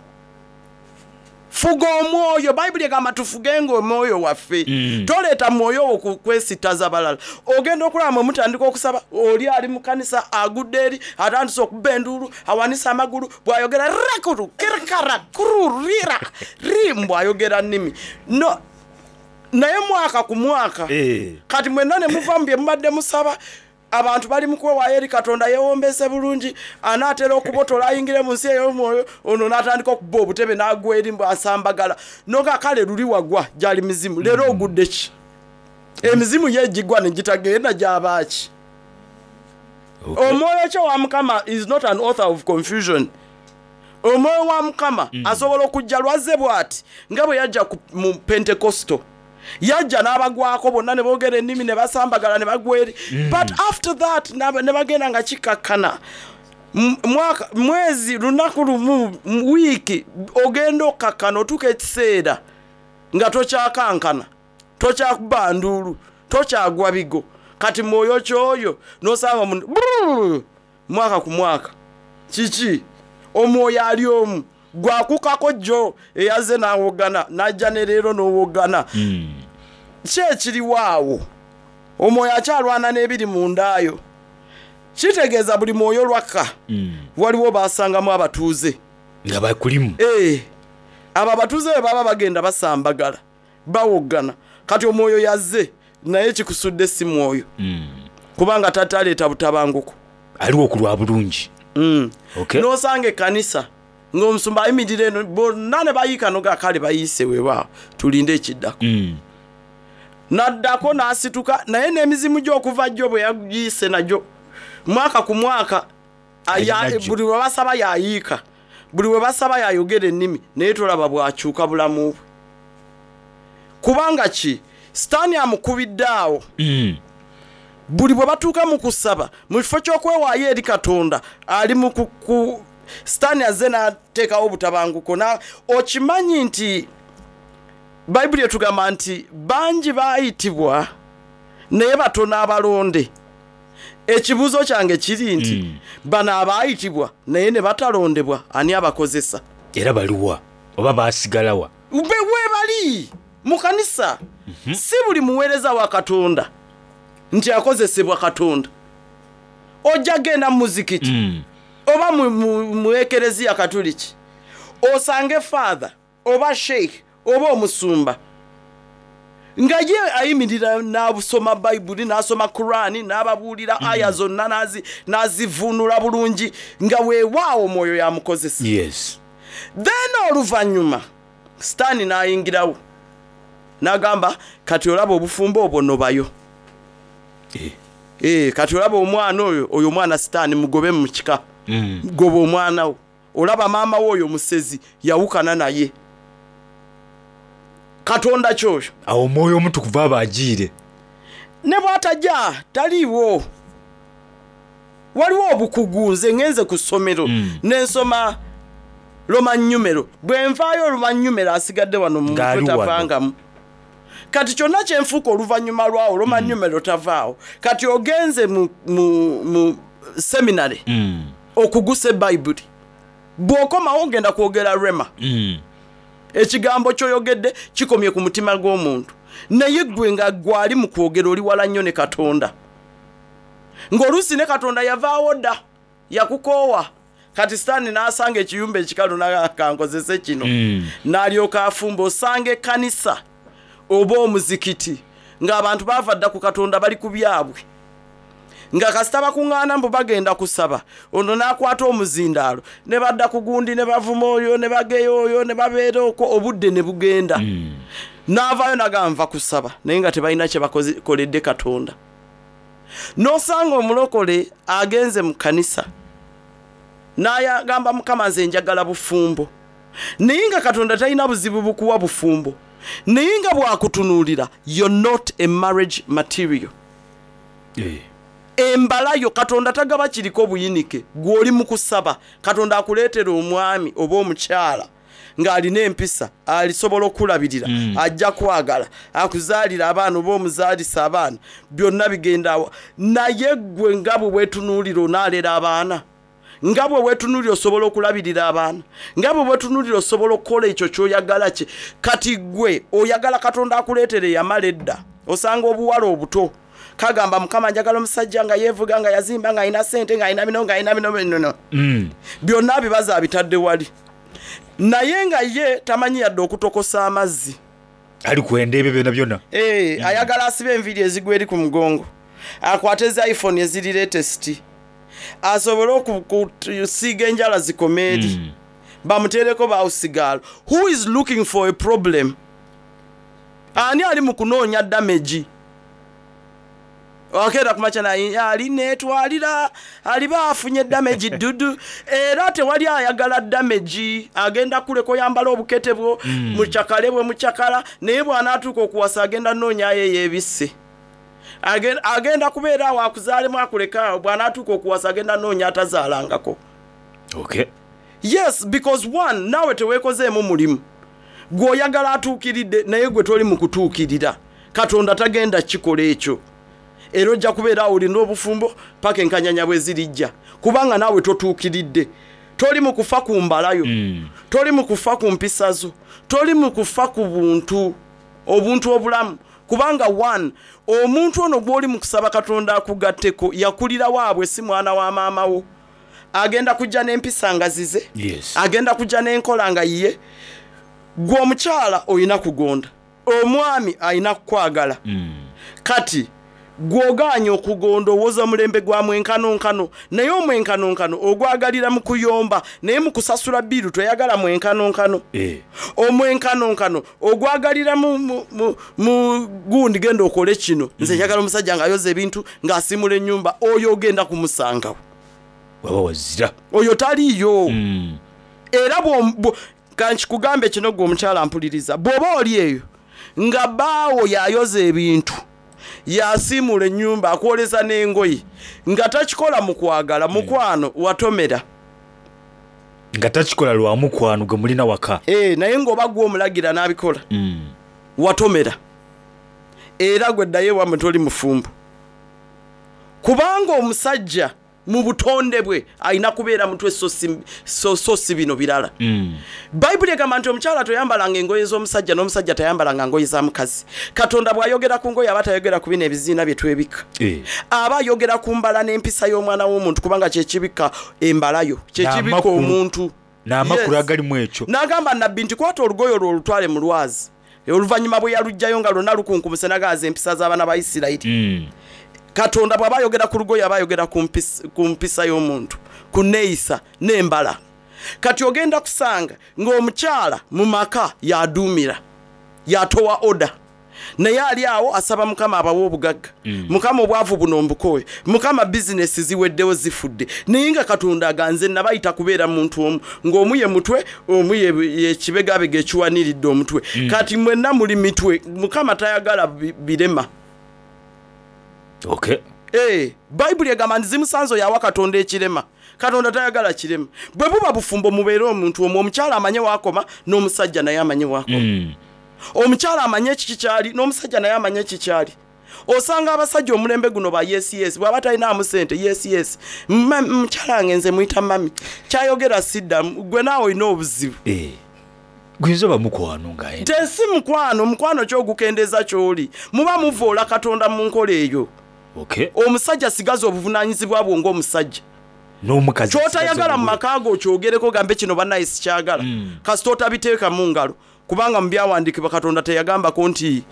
Fuga omwoyo. Bayibuli egamba tufugenga omwoyo waffe. Toleeta mwoyo wo ku- kwesittaza balala. Ogenda okulaba mwe mutandika okusaba, oli ali mu kanisa agudde eri, atandise okuba enduulu, awanise amagulu, bw'ayogera rakuru kirikara kururira ri, mbw'ayogera nnimi no, naye mwaka ku mwaka. Eh. Kati mwenna ne muva mu bye mubadde musaba, abantu bali mu kwewaayo eri Katonda, yeewombese bulungi, anaatera okubotola ayingire mu nsi ey'omwoyo, ono n'atandika okuba obutebe n'agwa eri mbu asambagala. Noga kale luli wagwa gyali mizimu, leero ogudde ki? Emizimu ye egigwa ne gitagenda gyabaaki? Omwoyo kyo wa Mukama is not an author of confusion. Omwoyo wa Mukama asobola okujja lwazze bw'ati, nga bwe yajja ku- mu Pentekosto, yajja n'abagwako bonna ne boogera ennimi ne basambagala ne bagwa eri, but after that n'aba- ne bagenda nga kikakkana. M- mwaka, mwezi, lunaku lumu, m- wiiki, ogenda okkakkana, otuuka ekiseera nga tokyakankana, tokyakuba nduulu, tokyagwa bigo. Kati mwoyo kyoyo nosanga omuntu brrr, mwaka ku mwaka, kiki? Omwoyo ali omu gwakukako jjo eyazze n'awogana, n'ajja ne leero n'owogana. Ki ekiriwo awo? Omwoyo akyalwana n'ebiri mu ndaayo. Kitegeeza buli mwoyo lwakka waliwo basangamu abatuuze nga bakulimu. Eh, abo abatuuze bwe baba bagenda basambagala, bawogana, kati omwoyo yazze naye kikusudde si mwoyo, kubanga tataleeta butabanguko. Aliwo ku lwa bulungi. Mm. Okay. N'osanga ekkanisa ng'omusumba ayimirira eno, bonna ne bayiika, noga kale bayiise, weewaawo, tulinde ekiddako. Mm. Naddako n'asituka naye n'emizimu gy'okuva jjo bwe yagiise nagyo mwaka ku mwaka, aya- Alina gyo. buli lwe basaba yayiika, buli lwe basaba yayogera ennimi, naye tolaba bwakyuka bulamu bwe, kubanga ki? Sitaani amukubidde awo. Mm. Buli bwe batuuka mu kusaba, mu kifo ky'okwewaayo eri Katonda, ali mu ku sitaani azze n'ateekawo obutabanguko. Na okimanyi nti Bayibuli etugamba nti bangi baayitibwa naye batono abalonde. Ekibuuzo kyange kiri nti mm. bano abaayitibwa naye ne batalondebwa, ani abakozesa? Era baliwa oba basigalawa? Be weebali mu kanisa. Si buli muweereza wa Katonda nti akozesebwa Katonda. Ojja genda mu muzikiti Mm. oba mu- mu mu ekereziya Katuliki, osange father oba sheikh oba omusumba nga ye ayimirira n'asoma Bayibuli, n'asoma Kurani, n'ababuulira aya zonna, n'azi- n'azivvuunula bulungi, nga weewaawo omwoyo yamukozesa. Yes. Then oluvannyuma sitaani n'ayingirawo n'agamba, kati olaba obufumbo obwo nobayo. Eh. Eh, kati olaba omwana oyo, oyo omwana sitaani, mugobe mu kika. Mm. Goba omwana wo, Olaba maama we oyo musezi, yawukana naye. Katonda kyoyo. Awo omwoyo omutukuvu aba ajiire. Ne bw'atajja taliiwo. Waliwo obukugu, nze ngenze ku ssomero mm. nensoma Roman numeral. Bwe nvaayo Roman numeral asigadde wano mu mutwe tavangamu. Kati kyonna kyenfuuka oluvannyuma lwawo Roman mm. numeral tavaawo. Kati ogenze mu, mu, mu seminary mm. okugusa ebayibuli, bw'okomawo ogenda kwogera rema mm. Ekigambo ky'oyogedde kikomye ku mutima gw'omuntu, naye ggwe nga gwali mu kwogera oli wala nnyo ne Katonda, ng'oluusi ne Katonda yavaawo dda, yakukoowa. Kati Sitaani n'asanga ekiyumba ekikalu nakankozese kino mm. n'alyoka afumba. Osanga ekkanisa oba omuzikiti ng'abantu baava dda ku Katonda, bali ku byabwe, nga kasita bakuŋŋaana mbu bagenda kusaba, ono n'akwata omuzindaalo ne badda ku gundi ne bavuma oyo ne bageya oyo ne babeera okwo, obudde ne bugenda mm. n'avaayo nagamba nva kusaba, naye nga tebalina kye bakoledde Katonda. N'osanga omulokole agenze mu kkanisa n'ayagamba Mukama nze njagala bufumbo, naye nga Katonda talina buzibu bukuwa bufumbo, naye nga bwakutunuulira you're not a marriage material. Eh. Embalayo Katonda tagaba kiriko buyinike. Gw'oli mu kusaba Katonda akuleetera omwami oba omukyala ng'alina empisa, alisobola okulabirira mm. ajja kwagala akuzaalira abaana oba omuzaalisa abaana, byonna bigendawo. Naye ggwe nga bwe weetunuulira onaalera abaana, nga bwe weetunuulira osobola okulabirira abaana, nga bwe weetunuulira osobola okukola ekyo ky'oyagala kye. Kati ggwe oyagala Katonda akuleetera eyamala edda. Osanga obuwala obuto kagamba Mukama njagala omusajja nga yeevuga, nga yazimba, ng'alina ssente, ng'alina bino, ng'alina bino bino mm. byonna bibaza abitadde wali, naye nga ye tamanyi yadde okutokosa amazzi. Ali kwenda ebyo byonna byonna. Eh, mm. Ayagala asibe enviiri ezigwa eri ku mugongo, akwate zi iPhone eziri latest, asobole okusiiga enjala zikome eri mm. bamuteereko bawusigaalo. Who is looking for a problem? Ani ali mu kunoonya damage? Akeera kumakya naye ali neetwalira aliba afunye damage ddudu, era tewali ayagala damage. Agenda kuleka oyambala obukete bwo mm. mucakale bwe mucakala, naye bw'anaatuuka okuwasa agenda noonyayo eyeebisse. Agenda kubeera awo akuzaalemu akuleka awo, bw'anaatuuka okuwasa agenda noonya atazaalangako. Okay. Yes, because one, naawe teweekozeemu mulimu. Gw'oyagala atuukiridde, naye gwe toli mu kutuukirira. Katonda tagenda kikola ekyo, era ojja kubeera awo olina obufumbo paka enkanyanya bwe zirijja, kubanga naawe totuukiridde. Toli mu kufa ku mbalayo mm. toli mu kufa ku mpisa zo, toli mu kufa ku buntu, obuntu obulamu. Kubanga one, omuntu ono gw'oli mu kusaba Katonda akugatteko yakulira waabwe, si mwana wa maama wo. Agenda kujja n'empisa nga zize yes. agenda kujja n'enkola nga yiye. Gwe omukyala olina kugonda, omwami alina kukwagala mm. Kati gw'ogaanye okugonda owoza mulembe gwa mwenkanonkano, naye omwenkanonkano ogwagalira mu kuyomba, naye mu kusasula biiru toyagala mwenkanonkano eh. Omwenkanonkano ogwagalira mu, mu, mu, mu gundi genda okole kino, nze njagala omusajja ng'ayoza ebintu, ng'asimula ennyumba, oyo ogenda kumusangawo waba wazira oyo taliiyo mm. Era kankikugambe kino, gwe omukyala mpuliriza, bw'oba oli eyo nga bbaawo yayoza ebintu, yasiimula ennyumba, akwoleza n'engoye, nga takikola mu kwagala, mukwano watomera. Nga takikola lwa mukwano gwe mulina waka. E, naye ng'oba gwe omulagira n'abikola mm. watomera. Era gwe ddayo ewammwe, toli mufumbo, kubanga omusajja mu butonde bwe alina kubeera mutwe, so si- so so si bino birala mm. Bayibuli egamba nti omukyala toyambalanga engoye z'omusajja, n'omusajja tayambalanga ngoye za mukazi. Katonda bw'ayogera ku ngoye aba tayogera ku bino ebiziina bye twebika, eh. aba ayogera ku mbala n'empisa y'omwana w'omuntu, kubanga kyekibika embalayo, kyekibika N'amakulu. omuntu N'amakulu Yes. agalimu ekyo. N'agamba nabbi nti kwata olugoye olwo olutwale mu lwazi. Oluvannyuma bwe yaluggyayo nga lwonna lukunkumuse, nagaaza empisa z'abaana ba Isirayiri. mm. Katonda bw'aba ayogera ku lugoye aba ayogera ku mpis- ku mpisa y'omuntu, ku neeyisa n'embala. Kati ogenda kusanga ng'omukyala mu maka yaduumira, yatowa order. Naye ali awo asaba Mukama abawe obugagga. Mm. Mukama obwavu buno mbukowe, Mukama bizinesi ziweddewo zifudde. Naye nga Katonda aganze nabayita kubeera muntu omu, ng'omu ye mutwe, omu ye- ye kibegabega ekiwaniridde omutwe. Mm. Kati mwenna muli mitwe, Mukama tayagala bi- birema. Okay. Eh, Bayibuli egamba nti zimusanze yawa Katonda ekirema. Katonda tayagala kirema. Bwe buba bufumbo, mubeere omuntu omu, omukyala amanye waakoma n'omusajja naye amanye waakoma. Mm. Omukyala amanye ekiki kyali n'omusajja naye amanye ekikyali. Osanga abasajja omulembe guno ba yes yes, bw'aba talinaamu sente yes yes. Ma- mukyala wange nze muyita mami, kyayogera siddamu. Gwe naawe olina obuzibu. Eh. Guyinza oba mukwano nga ye. Tensi mukwano, mukwano kyogukendeeza kyoli muba muvoola Katonda mu nkola eyo. Okay. Omusajja sigaza obuvunaanyizibwa bwo ng'omusajja. N'omukazi Kyotayagala mu maka go okyogereko, gambe kino bannaye sikyagala. Mm. Kasita otabiteeka mu ngalo, kubanga mu byawandiikibwa Katonda teyagambako nti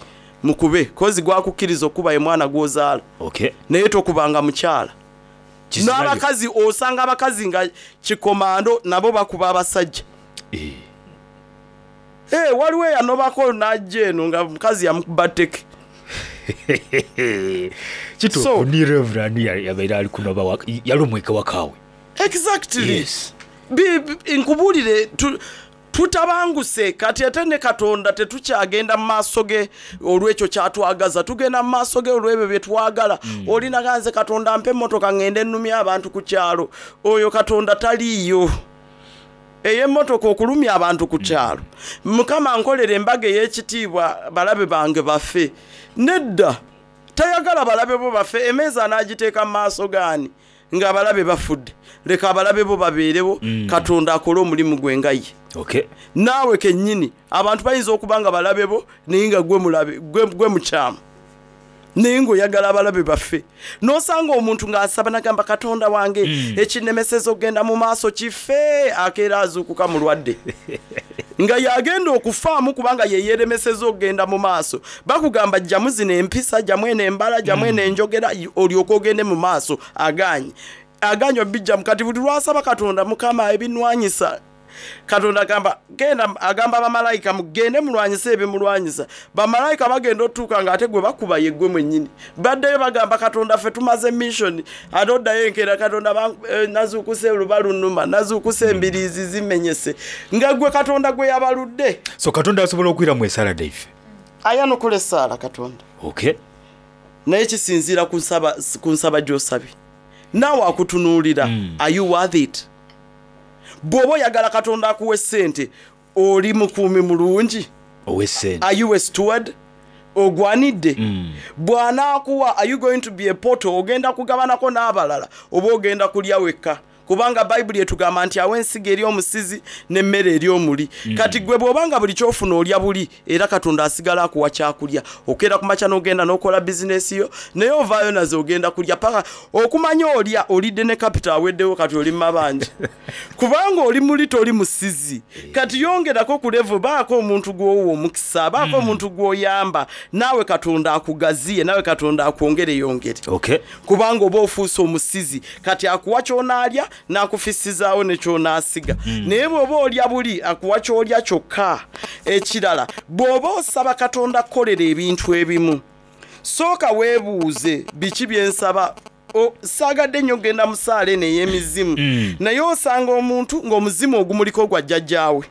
mukube kozi gwakukkiriza okuba ye mwana gw'ozaala. Okay. Naye tokubanga mukyala. Kizirayo. N'abakazi, osanga abakazi nga kikomando nabo bakuba abasajja. Eh. Eh, waliwo eyanobako n'ajja eno nga mukazi yamukuba tteke. Kituufu So- ni Reverend ya- yabeera ali kunoba wa- yali omweka wakaawe. Exactly. Yes. Bi- bi- nkubuulire tu- tutabanguse kati ate ne Katonda tetukyagenda mu maaso ge olw'ekyo kyatwagaza, tugenda mu maaso ge olw'ebyo bye twagala. mm. Olinaga nze Katonda mpa emmotoka ŋŋende ennumya abantu ku kyalo, oyo Katonda taliiyo. Ey'emmotoka okulumya abantu ku kyalo, Mukama nkolera embaga ey'ekitiibwa balabe bange bafe. Nedda, tayagala balabe bo bafe. Emeeza anaagiteeka mu maaso gaani nga abalabe bafudde? Leka abalabe bo babeerewo. Mm. Katonda akole omulimu gwe nga ye. Okay. Naawe kennyini abantu bayinza okuba nga balabe bo, naye nga gwe mulabe, gwe, gwe mukyamu, naye ng'oyagala abalabe baffe. N'osanga omuntu ng'asaba nagamba Katonda wange, Mm. ekinnemeseza okugenda mu maaso kife. Akeera azuukuka mulwadde nga yagenda okufaamu kubanga ye yeeremeseza okugenda mu maaso. Bakugamba jjamu zino empisa, jjamu eno embala, jjamu eno enjogera, olyoke ogende mu maaso. Aganye, aganye obijjamu. Kati buli lwasaba Katonda, Mukama ebinwanyisa, Katonda agamba genda, agamba bamalayika mugende mulwanyise ebimulwanyisa. Bamalayika bagenda otuuka nga ate gwe bakuba ye gwe mwennyini. Baddeyo bagamba Katonda ffe tumaze mission. Ate oddayo enkeera, Katonda ban- eh, nazuukuse oluba lunuma, nazuukuse embiriizi zimenyese, nga gwe Katonda gwe yabaludde. So Katonda asobola okwiramu esaala daife. Ayanukula essaala Katonda. Okay. Naye kisinziira ku nsaba, ku nsaba gy'osabye. Naawe akutunuulira. mm. Are you worth it? Bw'oba oyagala Katonda akuwa essente, oli mukuumi mulungi? Ow'essente. Are you a steward ogwanidde? Mm. Bw'anaakuwa, are you going to be a poto? Ogenda kugabanako n'abalala oba ogenda kulya wekka? Kubanga Bayibuli etugamba nti awa ensigo eri omusizi n'emmere eri omuli. Mm. Kati gwe bw'obanga buli kyofuna olya buli, era Katonda asigala akuwa kyakulya. Okeera ku makya n'ogenda n'okola bizinesi yo, naye ovaayo nazo ogenda kulya paka okumanya olya olidde ne kapita aweddewo. Kati oli mu mabanja kubanga oli muli, toli musizi. Kati yongerako ku levo, baako omuntu gw'owa omukisa, baako omuntu gw'oyamba, naawe Katonda akugaziye, naawe Katonda akwongere yongere. Okay. Kubanga oba ofuuse omusizi, kati akuwa kyonaalya n'akufissizaawo ne kyonaasiga. Mm. Naye bw'oba olya buli, akuwa kyolya kyokka. Ekirala, bw'oba osaba Katonda kukolera ebintu ebimu, sooka weebuuze biki byensaba. O- saagadde nnyo okugenda mu saala eno ey'emizimu. Mm. Naye osanga omuntu ng'omuzimu ogumuliko gwa jjajjaawe,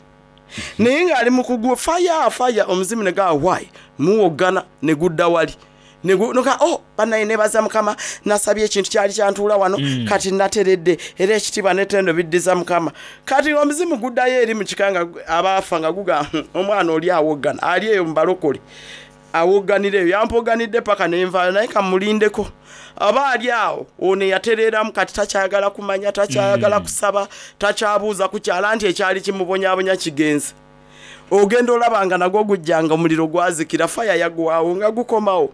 naye ng'ali mu kugwa faya faya, omuzimu ne gaa wai muwoggana ne gudda wali. Ne gu- noka oh bannaye nebaza Mukama, nasabye ekintu kyali kyantuula wano. Mm. Kati nateredde, era ekitiibwa n'ettendo biddiza Mukama. Kati omuzimu guddayo eri mu kika nga gu- abaafa nga guga, "Hmm, omwana oli awoggana ali eyo mubalokole awogganira eyo, yampoganidde paka nenvaayo, naye kamulindeko aba ali awo." Ono eyatereeramu kati takyayagala kumanya, takyayagala Mm. kusaba, takyabuuza kukyala nti ekyali kimubonyabonya kigenze. Ogenda olaba nga nagwo gujjanga omuliro gwazikira, faya yagwawo nga gukomawo.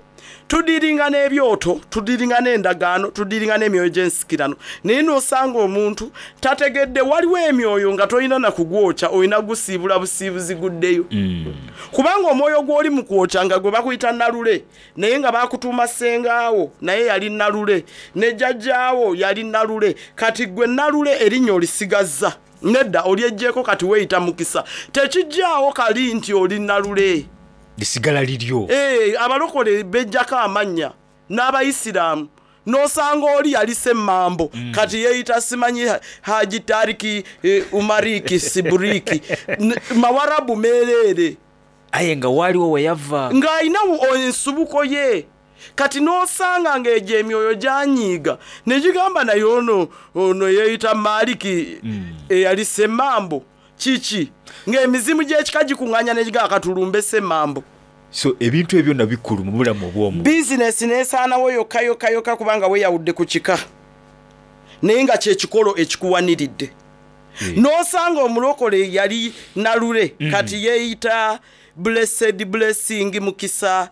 Tudiringa n'ebyoto, tudiringa n'endagaano, tudiringa n'emyoyo gy'ensikirano, naye n'osanga omuntu tategedde waliwo emyoyo nga tolina nakugwokya, olina gusiibula busiibuzi guddeyo. Mm. Kubanga omwoyo gw'oli mu kwokya nga gwe bakuyita nalule, naye nga bakutuuma sengaawo, naye yali nalule, ne jjajjaawo yali nalule. Kati gwe nalule erinnya olisigazza? Nedda, olyeggyeko. Kati weeyita mukisa, tekijjaawo kali nti oli nalule. Lisigala liryo. Eh, abalokole bejjako amannya n'abayisiraamu, n'osanga oli yali Semmambo, mm. kati yeeyita simanyi Ha- Haji Tariki, eh, Umariki Siburiki. N- mawarabu meereere. Aye nga waliwo weyava, ng'alina wo- ensubuko ye. Kati n'osanga ng'egyo emyoyo gyanyiiga ne gigamba, naye ono ono yeeyita Maliki, eyali Semmambo kiki? Ng'emizimu gy'ekika gikuŋŋaanya ne gigamba, katulumbe Semmambo. So ebintu ebyo bikulu mu bulamu obw'omu. Bizinesi nesaanawo yokka yokka yokka, kubanga weeyawudde ku kika, naye nga kyekikolo ekikuwaniridde. N'osanga omulokole yali Nalule, mm. kati yeeyita Blessed Blessing Mukisa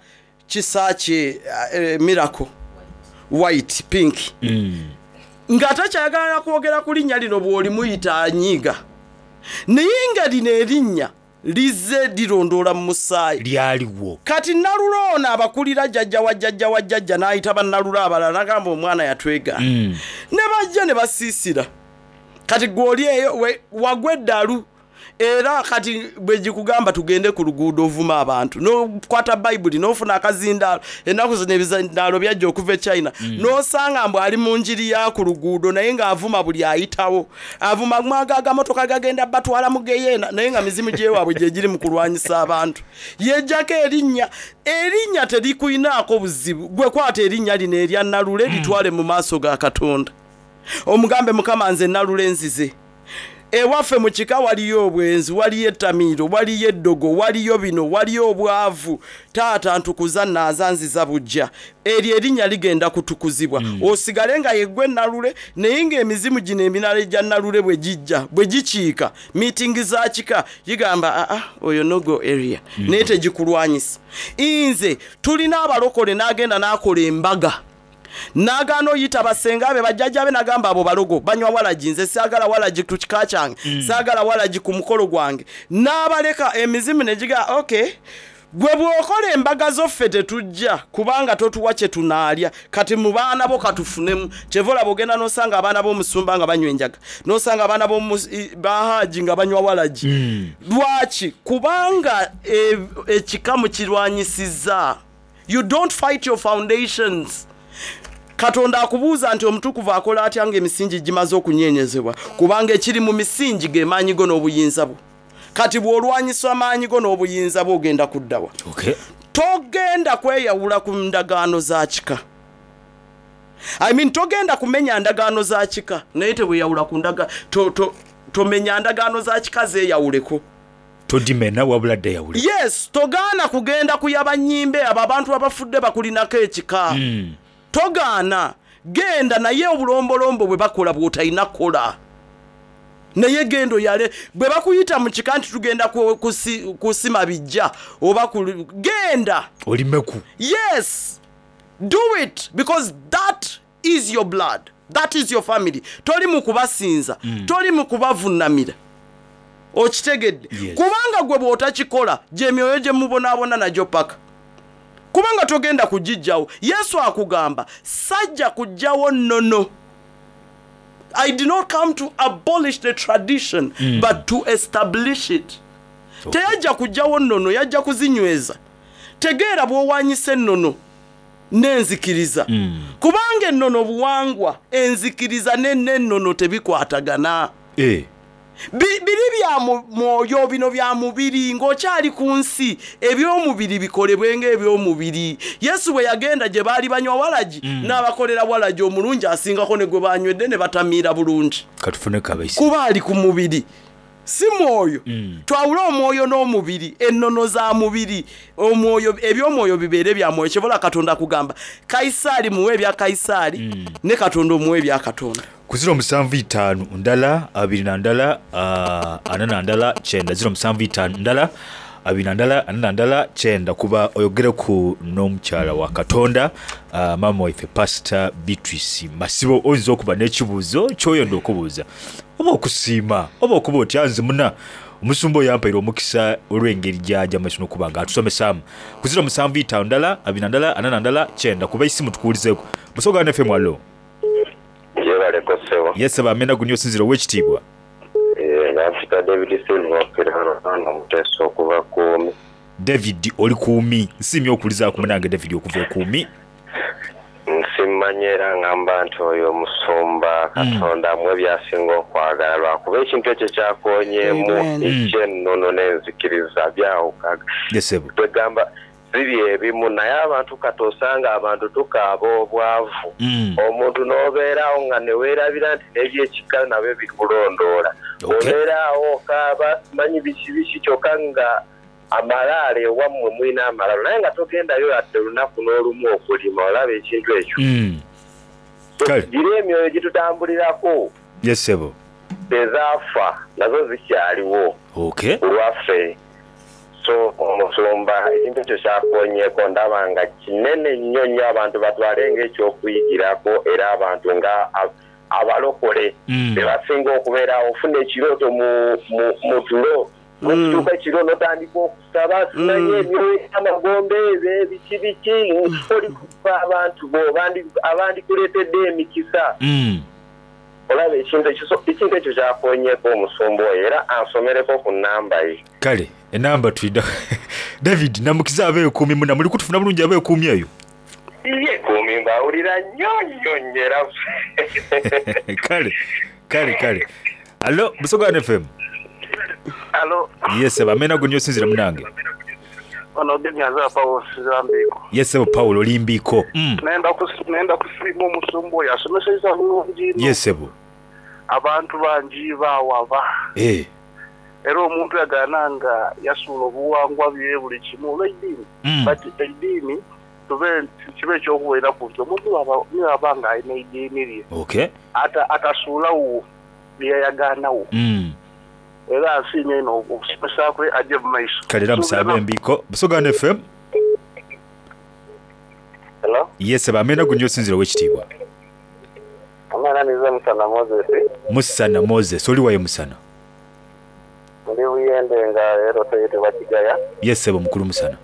Kisakye, uh, Miracle White Pink, Mm. nga takyayagala kwogera ku linnya lino. Bw'olimuyita anyiiga, naye nga lino erinnya lizze lirondoola mu musaayi. Lyaliwo. Kati Nalule ono abakulira jjajja wa jjajja wa jjajja n'ayita bannalule abalala, nagamba omwana yatwegaana, Mm. ne bajja ne basiisira. Kati gw'oli eyo we- wagwa eddalu, era kati bwe gikugamba tugende ku luguudo ovuma abantu, n'okwata Bayibuli n'ofuna akazindaalo. Ennaku zino ebizindaalo byajja okuva e China. mm. N'osanga mbu ali mu njiri ya ku luguudo, naye ng'avuma buli ayitawo, avuma mwaga agamotoka gagenda batwala mu geyeena, naye nga mizimu gyewaabwe gye giri mu kulwanyisa abantu. Yejjako erinnya, erinnya terikuyinaako buzibu. Gwe kwata erinnya lino erya Nalule, litwale mu maaso ga Katonda, omugambe, Mukama, nze Nalule nzize ewaffe mu kika, waliyo obwenzi, waliyo ettamiiro, waliyo eddogo, waliyo bino, waliyo obwavu. Taata, ntukuza, naaza, nziza bujja. Eryo erinnya ligenda kutukuzibwa, mm. osigale nga yeggwe Nalule. Naye ng'emizimu gino emirala egya Nalule bwe gijja, bwe gikiika miitingi za kika, gigamba, aa, oyo no-go area, mm. naye tegikulwanyisa. Nze tulina abalokole n'agenda n'akola embaga, n'agaana oyita basenga be, bajjajja be, nagamba abo balogo, banywa walagi, nze saagala walagi ku kika kyange, mm. saagala walagi ku mukolo gwange. N'abaleka, emizimu ne giga, ok, gwe bw'okola embaga zoffe tetujja, kubanga totuwa kye tunaalya. Kati mu baana bo katufunemu. Kyeva olaba ogenda n'osanga abaana b'omusumba nga banywa enjaga, n'osanga abaana b'omu- i- bahaji nga banywa walagi. mm. Lwaki? Kubanga e- ekika mukirwanyisizza. You don't fight your foundations. Katonda akubuuza nti omutukuvu akola atya nga emisingi gimaze okunyenyezebwa? Kubanga ekiri mu misingi ge maanyi go n'obuyinza bwo. Kati bw'olwanyisa amaanyi go n'obuyinza bwo, ogenda kuddawa? Okay. Togenda kweyawula ku ndagaano za kika. I mean, togenda kumenya ndagaano za kika, naye teweyawula ku ndaga to, to, tomenya ndagaano za kika, zeeyawuleko. Todimena wabula ddeyawule. Yes, togaana kugenda kuyaba nnyimbe abo abantu abafudde bakulinako ekika. Mm. Togaana, genda, naye obulombolombo bwe bakola bw'otalina kukola, naye genda oyale. Bwe bakuyita mu kika nti tugenda ku- kusi- kusima bijja oba ku- genda. Olimeku. Yes, do it, because that is your blood, that is your family. Toli mu kubasinza, mm. toli mu kubavunamira, okitegedde? Yes. Kubanga gwe bw'otakikola, gyemyoyo gye mubonaabona nagyo paka, kubanga togenda kugijjawo. Yesu akugamba, sajja kujjawo nnono. I did not come to abolish the tradition, mm. but to establish it. Okay. Teyajja kujjawo nnono, yajja kuzinyweza. Tegeera bw'owanyisa ennono n'enzikiriza, mm. kubanga ennono buwangwa, enzikiriza n'ennono tebikwatagana. Eh. Bi- biri bya mu- mwoyo, bino bya mubiri. Ng'okyali ku nsi, ebyomubiri bikolebwe ng'ebyomubiri. Yesu bwe yagenda gye baali banywa walagi, mm. n'abakolera walagi omulungi asingako ne gwe banywedde, ne batamiira bulungi. Katufune kabaisi. Kuba ali ku mubiri, si mwoyo. mm. Twawule omwoyo n'omubiri. Ennono za mubiri, omwoyo, ebyomwoyo bibeere bya mwoyo. Kyebola Katonda kugamba, Kayisaali muwe ebya Kayisaali, mm. ne Katonda omuwe ebya Katonda. Ku ziro musanvu itaanu ndala abiri na ndala, ah, ana na ndala kyenda, ziro musanvu itaanu ndala abiri na ndala ana na ndala kyenda, kuba oyogereku n'omukyala wa Katonda, ah, maama waife Pastor Beatrice Masibo. Oyinza okuba n'ekibuuzo kyoyenda okubuuza, oba okusiima, oba okuba otya, nze muna omusumba oyo yampaire omukisa olw'engeri gyajja maiso n'okuba nga atusomesaamu. Ku ziro musanvu itaanu ndala abiri na ndala ana na ndala kyenda, kuba isimu tukuwulizeeku. Busoga F M, alo. Gyebaleko ssebo. Yesaba amena guni osinzira ow'ekitiibwa. Nampita David Silva Pirano Muteesa okuva Kuumi. David oli kuumi. Nsiimye okuwulizaaku munange David okuva ekuumi. Nsimmanyi era ngamba nti oyo omusumba Katonda mwe byasinga okwagala, lwakuba ekintu ekyo kyakonyeemu ekyennono n'enzikiriza byawukaga. Yesebo. Twegamba biri ebimu, naye abantu kati osanga abantu tukaaba obwavu. Mm. Omuntu n'obeeraawo nga neweerabira nti n'ebyekika nabyo bikulondoola. Okay. Obeeraawo okaaba simanyi biki biki, kyokka nga amalaalo ewammwe mulina amalaalo, naye nga togendayo yadde olunaku n'olumu okulima. Olaba ekintu ekyo? Mm. Kale. Giri emyoyo gitutambulirako Yesebo. ezaafa nazo zikyaliwo Okay. ku lwaffe. So omusumba ekintu ekyo kyakonyeeko ndaba nga kinene nnyo nnyo, abantu batwale ng'ekyokuyigirako, era abantu nga a- abalokole Mm. be basinga okubeerawo. Ofuna ekirooto mu, mu, mu tulo, n'okituuka ekiro n'otandika okusaba, simanyi emyoyo gy'amagombe ebyo ebiki biki, oli kufa abantu bo abandi- abandikuleetedde emikisa. Mm. Olaba ekintu ekyo? So ekintu ekyo kyakonyeeko omusumba oyo, era ansomereko ku namba ye. Kale enamba twida. David namukiza abeekuumi muna muli kutufuna bulungi abeekuumi eyo. Ye kuumi mbawulira nnyo nnyo nnyo era. Kale kale kale. Alo, Busoga F M. Alo. Yesebo, amena gunyo sinzira munange. Ono Genyaza Paulo Sizambiiko. Yesebo Paulo Limbiiko. Mm. Nenda kus- nenda kusiima omusumba oyo asomesezza bulungi nnyo. Yesebo. Abantu bangi baawaba. Eh. Era omuntu yagaana nga yasuula obuwangwa bye buli kimu olw'eddiini. Mm. But eddiini tube kibe ekyokubeeraku nti omuntu bw'aba- niwaba nga alina eddiini lye Okay. ata- atasuulawo bye yayagaanawo. Mm. Era nsiimye eno okusomesa kwe ajje mu maiso. Kale era musabe embiiko. Busoga F M. Hello? Yesebo, amena gunyo sinzira ow'ekitiibwa. Omwana nize Musana Moses. Musana Moses, oli wayo Musana. Ndi Buyende nga era otuyitibwa Kigaya. Yesebo mukulu Musana.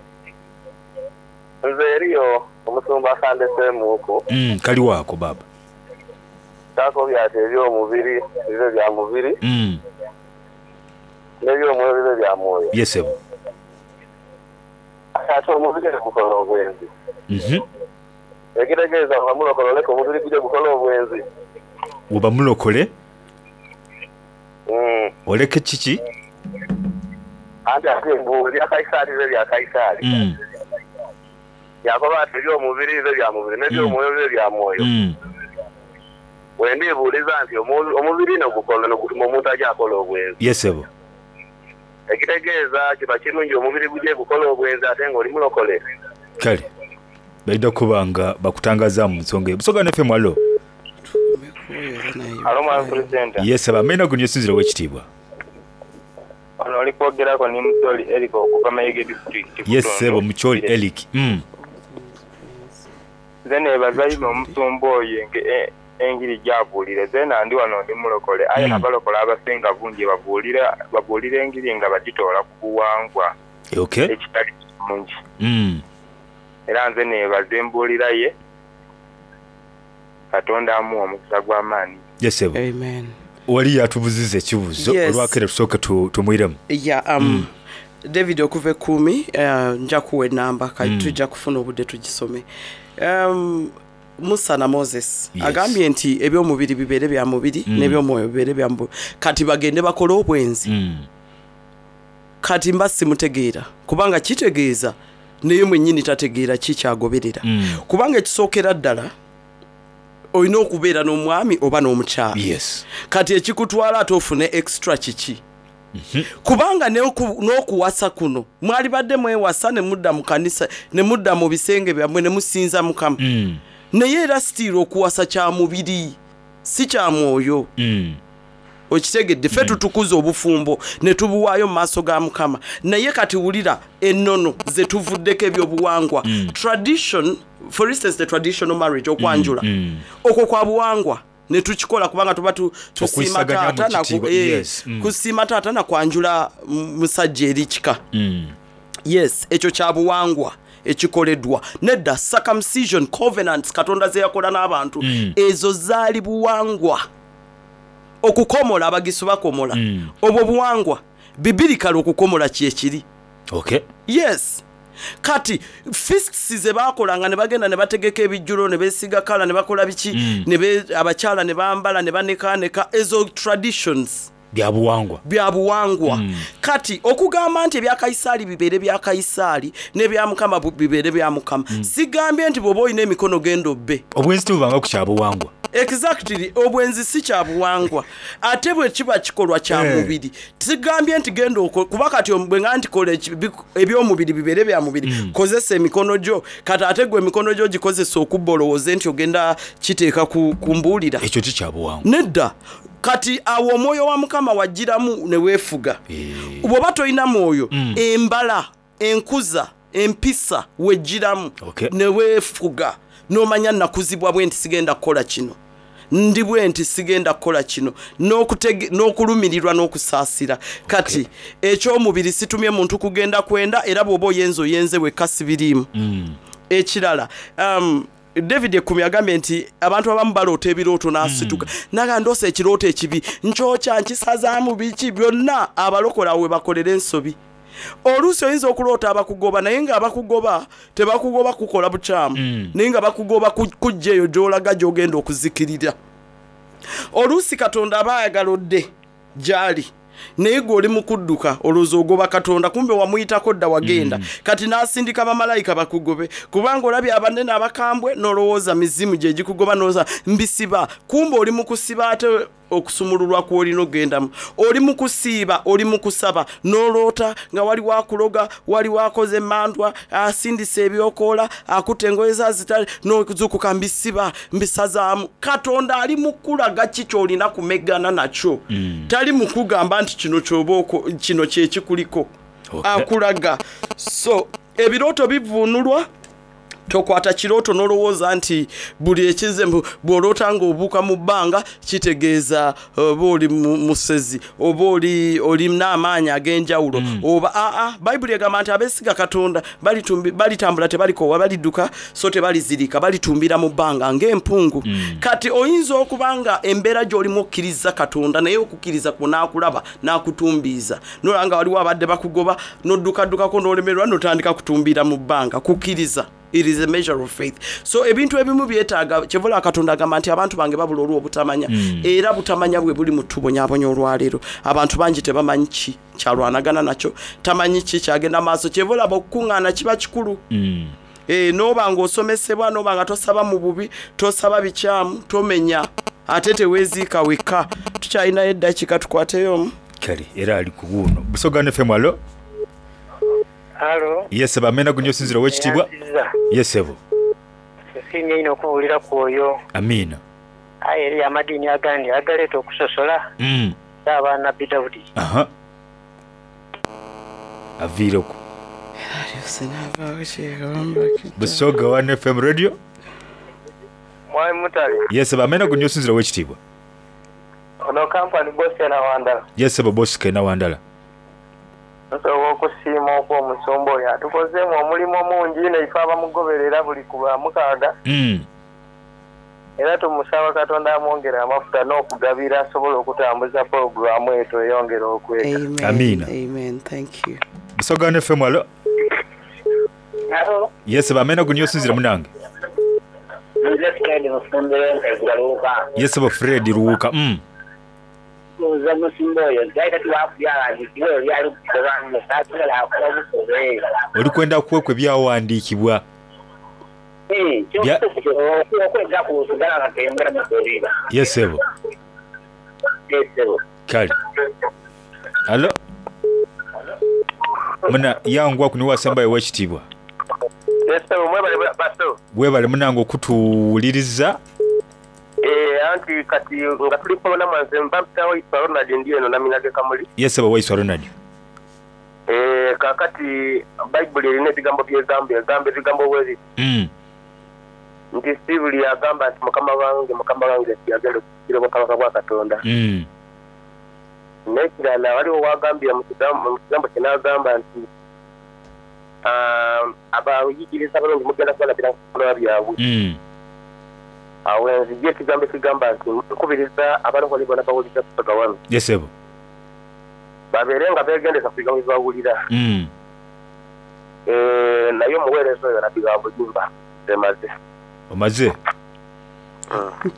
Nze eriyo omusumba akandeseemuuku. Mm, kali waako baba. Kyakobya ati ebyomubiri bibe bya mubiri Mm. n'ebyomwoyo bibe bya mwoyo. Yesebo. Ate omubiri gukola obwenzi. Mhm. Ekitegeeza nga mulokole oleka omubiri guje gukola obwenzi. Oba mulokole Mm. oleke kiki? Anti ate mbu ebya Kayisaali bibe bya Kayisaali. Mm. Yakoba ati ebyomubiri bibe bya mubiri n'ebyomwoyo bibe bya mwoyo. Mm. Bwe ndibuuliza nti omu- omubiri no gukola no gutuma omuntu ajja akola obwenzi. Yesebo. Ekitegeeza kiba kirungi omubiri guje gukola obwenzi ate ng'oli mulokole. Kale. Baida kuba nga bakutangaza mu nsonga eyo. Busoga F M alo. Alo mwami Pulezidenti. Yesebo, amena gunyo sinzira ow'ekitiibwa. Ono oli kwogerako ni Mucholi Eric okuva Mayege district. Yesebo Mucholi Eric. Mm. Nze neebaza ino omusumba oyo enge- e- engiri gy'abuulira. Nze nandi wano ndi mulokole aye Mm. abalokole abasinga bungi babuulira babuulira engiri nga bagitoola ku buwangwa Okay. ekitali kirungi. Mm. Era nze neebaza embuulira ye Katonda amuwa omukisa gw'amaanyi. Yesebo. Amen. Wali yatubuziza ekibuuzo Yes. olwakere tusooke tu- tumwiremu. Yeah, um, David okuva ekkuumi, uh, nja kuwa enamba kati Mm. tujja kufuna obudde tugisome. Um, Musana Moses Yes. agambye nti ebyomubiri bibeere bya mubiri Mm. n'ebyomwoyo bibeere bya mubiri, kati bagende bakole obwenzi. Mm. Kati mba simutegeera kubanga kitegeeza naye mwennyini tategeera ki kyagoberera. Mm. Kubanga ekisookera ddala olina okubeera n'omwami oba n'omukyala. Yes. Kati ekikutwala ate ofune extra kiki? Kubanga n'oku- n'okuwasa kuno mwali badde mwewasa ne mudda mu kanisa ne mudda mu bisenge byammwe ne musinza Mukama. Mm. Naye era sitiira okuwasa kya mubiri si kya mwoyo. Mm. Okitegedde? Ffe tutukuza obufumbo ne tubuwaayo mu maaso ga Mukama, naye kati wulira ennono ze tuvuddeko ebyobuwangwa. Mm. Tradition, for instance, the traditional marriage, okwanjula, Mm. okwo kwa buwangwa ne tukikola kubanga tuba tu- tusiima Okwisaganya mu taata na ku- kitiibwa, eh, yes, mm. kusiima taata na kwanjula mm, musajja eri kika. Mm. Yes, ekyo kya buwangwa ekikoleddwa nedda. Circumcision, covenants Katonda ze yakola n'abantu, Mm. ezo zaali buwangwa. Okukomola, abagisu bakomola, Mm. obwo buwangwa bibirikale okukomola kyekiri. Okay. Yes, kati feasts ze bakolanga ne bagenda ne bategeka ebijjulo ne beesiga kala ne bakola biki, Mm. ne be- abakyala ne bambala ne banekaaneka, ezo traditions. Byabuwangwa. Bya buwangwa. Kati okugamba nti ebya Kayisaali bibeere bya Kayisaali n'ebya Mukama bu- bibeere bya Mukama, sigambye nti bw'oba olina emikono genda obbe. Obwenzi tebubanga ku kyabuwangwa. Exactly, obwenzi si kya buwangwa, ate bwe kiba kikolwa kya Eh. mubiri. Sigambye nti genda oko, kuba kati bwe nga nti kola eki- bi- ebyomubiri bibeere bya mubiri, kozesa emikono gyo. Kati ate gwe emikono gyo gikozesa okubba, olowooze nti ogenda kiteeka ku, ku mbuulira? Ekyo tikyabuwangwa. Nedda. Kati awo omwoyo wa Mukama wagiramu ne weefuga. Bw'oba tolina mwoyo, embala, enkuza, empisa wegiramu Okay. ne weefuga n'omanya nakuzibwa bwe nti sigenda kukola kino, ndi bwe nti sigenda kukola kino, n'okutege- n'okulumirirwa n'okusaasira. Kati ekyomubiri situmye muntu kugenda kwenda, era bw'oba oyenze oyenze wekka, sibiriimu. Ekirala, um, David Ekumi agambye nti abantu abamu baloota ebirooto n'asituka mm. Naga ndoosa ekirooto ekibi, nkyokya, nkisazaamu, biki byonna. Abalokola we bakolera ensobi. Oluusi oyinza okuloota abakugoba, naye nga abakugoba tebakugoba kukola bukyamu, mm. naye nga bakugoba ku- kujja eyo gy'olaga gy'ogenda okuzikirira. Oluusi Katonda aba ayagala odde gy'ali, naye gwe oli mu kudduka, olowooza ogoba Katonda, kumbe wamuyitako dda wagenda. mm. Kati n'asindika bamalayika bakugobe, kubanga olabye abanene abakambwe n'olowooza mizimu gye gikugoba, n'olowooza mbisiba, kumbe oli mu kusiba ate okusumululwa kw'olina ogendamu. Oli mu kusiiba, oli mu kusaba, n'oloota nga waliwo akuloga, waliwo akoze emandwa, asindisa ebyokoola, akutta engoye zazitale, n'ozuukuka mbisiba, mbisazaamu. Katonda ali mu kulaga ki ky'olina kumegana nakyo. mm. Tali mu kugamba nti kino kyoba oko- kino kyekikuliko. Okay. Akulaga. So ebirooto bivuunulwa. Tokwata kirooto n'olowooza nti buli ekize mbu bw'oloota ng'obuuka mu bbanga kitegeeza oba oli mu- musezi oba oli olina amaanyi ag'enjawulo, oba aa. Bayibuli egamba nti abeesiga Katonda balitumbi- balitambula tebalikoowa, balidduka so tebalizirika, balitumbira mu bbanga ng'empungu. Kati oyinza okuba nga embeera gy'olimu okkiriza Katonda, naye okukkiriza kwo n'akulaba n'akutumbiiza, nolaba nga waliwo abadde bakugoba n'oddukaddukako n'olemererwa n'otandika kutumbira mu bbanga. Kukkiriza, it is a measure of faith. So ebintu ebimu byetaaga kyevula. Katonda agamba nti abantu bange babula olw'obutamanya, era butamanya bwe buli mu tubonyabonya olwaleero. Abantu bangi tebamanyi ki kyalwanagana nakyo, tamanyi ki kyagenda maaso. Kyevulaba okukuŋŋaana kiba kikulu. Mm. e, noba ng'osomesebwa, noba nga tosaba mu bubi, tosaba bikyamu, tomenya, ate teweeziika wekka. Tukyalinayo eddakiika, tukwateyo omu. Kale era ali ku buuno. Busoga F M, alo. Halo. Yesebo, amena gunyo osinzira owekitiibwa. Eyanziza. Yesebo. Esiimye ino okubuulira ku oyo. Amiina. Aye eri amadiini agandi agaleeta okusosola Mm. abaana Nabbi Dawudi. Aha, aviireku. Busoga one F M radio. Mwami Mutale. Yesebo, amena gunyo osinzira owekitiibwa. Ono kampani Bosena Wandala. Yesebo, Bosike Nawandala. Nsobola okusiima okwo omusumba oyo atukozeemu omulimu mungi naife abamugoberera buli ku lwamukaaga. Mm. Era tumusaba Katonda amwongere amafuta n'okugabira asobole okutambuza pulogulaamu eyo tweyongere okweka. Amen. Amiina. Amen. Thank you. Busoga one F M, alo. Yesebo, amena gunyo osinzira munange. Nze Fred Mufumbiro Ntegaluuka. Yesebo, Fred Luwuka. Mm. Buuza musumba oyo nti ayi tatiwakubyawandikibwa ebyo byali kukoba asobola akola bukobe. Oli kwenda kuwekwa ebyawandiikibwa. Bya- Okwega kusigala nga teyongera mukubiba. Yesebo. Esebo. Kale alo, muna yangwa kuno wasembayo owekitiibwa. Esebo, mwebale baso. Webale munange okutuwuliriza. Eh, anti kati nga tuli kubona mwanze mpampitawo Iswa Ronald, ndi eno naminage Kamuli. Yesebo, Waiswa Ronald. Eh, kaakati Bayibuli erina ebigambo byegamba, egamba ebigambo bwezi Mm. nti si buli agamba nti Mukama wange, Mukama wange nti agenda okusikira obwakabaka bwa Katonda. Mm. N'ekirala waliwo wagambye mu kigambo mu kigambo kye n'agamba nti ah, abayigiriza abalungi mugenda kubalabira ku bikolwa byabwe. Mm. Awo enzijja ekigambo ekigamba nti nkubiriza abalokole bonna bawuliriza Busoga wano Yesebo. babeere nga beegendeza ku bigambo bye bawulira. Mm. Eh, naye omuweereza oyo Nabbi wa bulimba emaze. Omaze?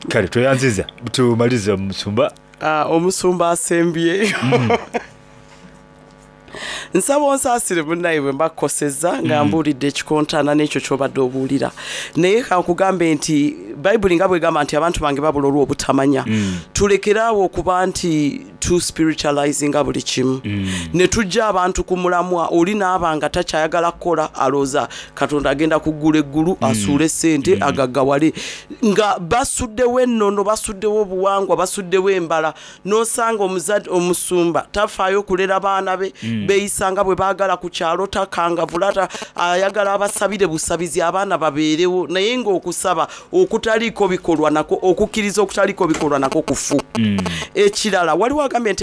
Kale tweyanziza, tumalize omusumba. Ah, omusumba asembyeyo. Nsaba onsaasire munnaye bwe mba kukosezza nga mbuulidde ekikontana n'ekyo ky'obadde obuulira, naye kankugambe nti Bayibuli nga bwegamba nti abantu bange babula olw'obutamanya, tulekeraawo okuba nti tu spiritualizinga buli kimu ne tujja abantu ku mulamwa. Oli naaba nga takyayagala kukola, alowooza Katonda agenda kuggula eggulu asuule sente agaggawale, nga basuddewo ennono, basuddewo obuwangwa, basuddewo embala. N'osanga omuzadde omusumba tafaayo okulera baana be, beeyisa nga bwe baagala ku kyalo, takangavula, ta- ayagala abasabire busabizi abaana babeerewo, naye ng'okusaba okutaliiko bikolwa nako, okukkiriza okutaliiko bikolwa nako kufu. Ekirala, waliwo agambye nti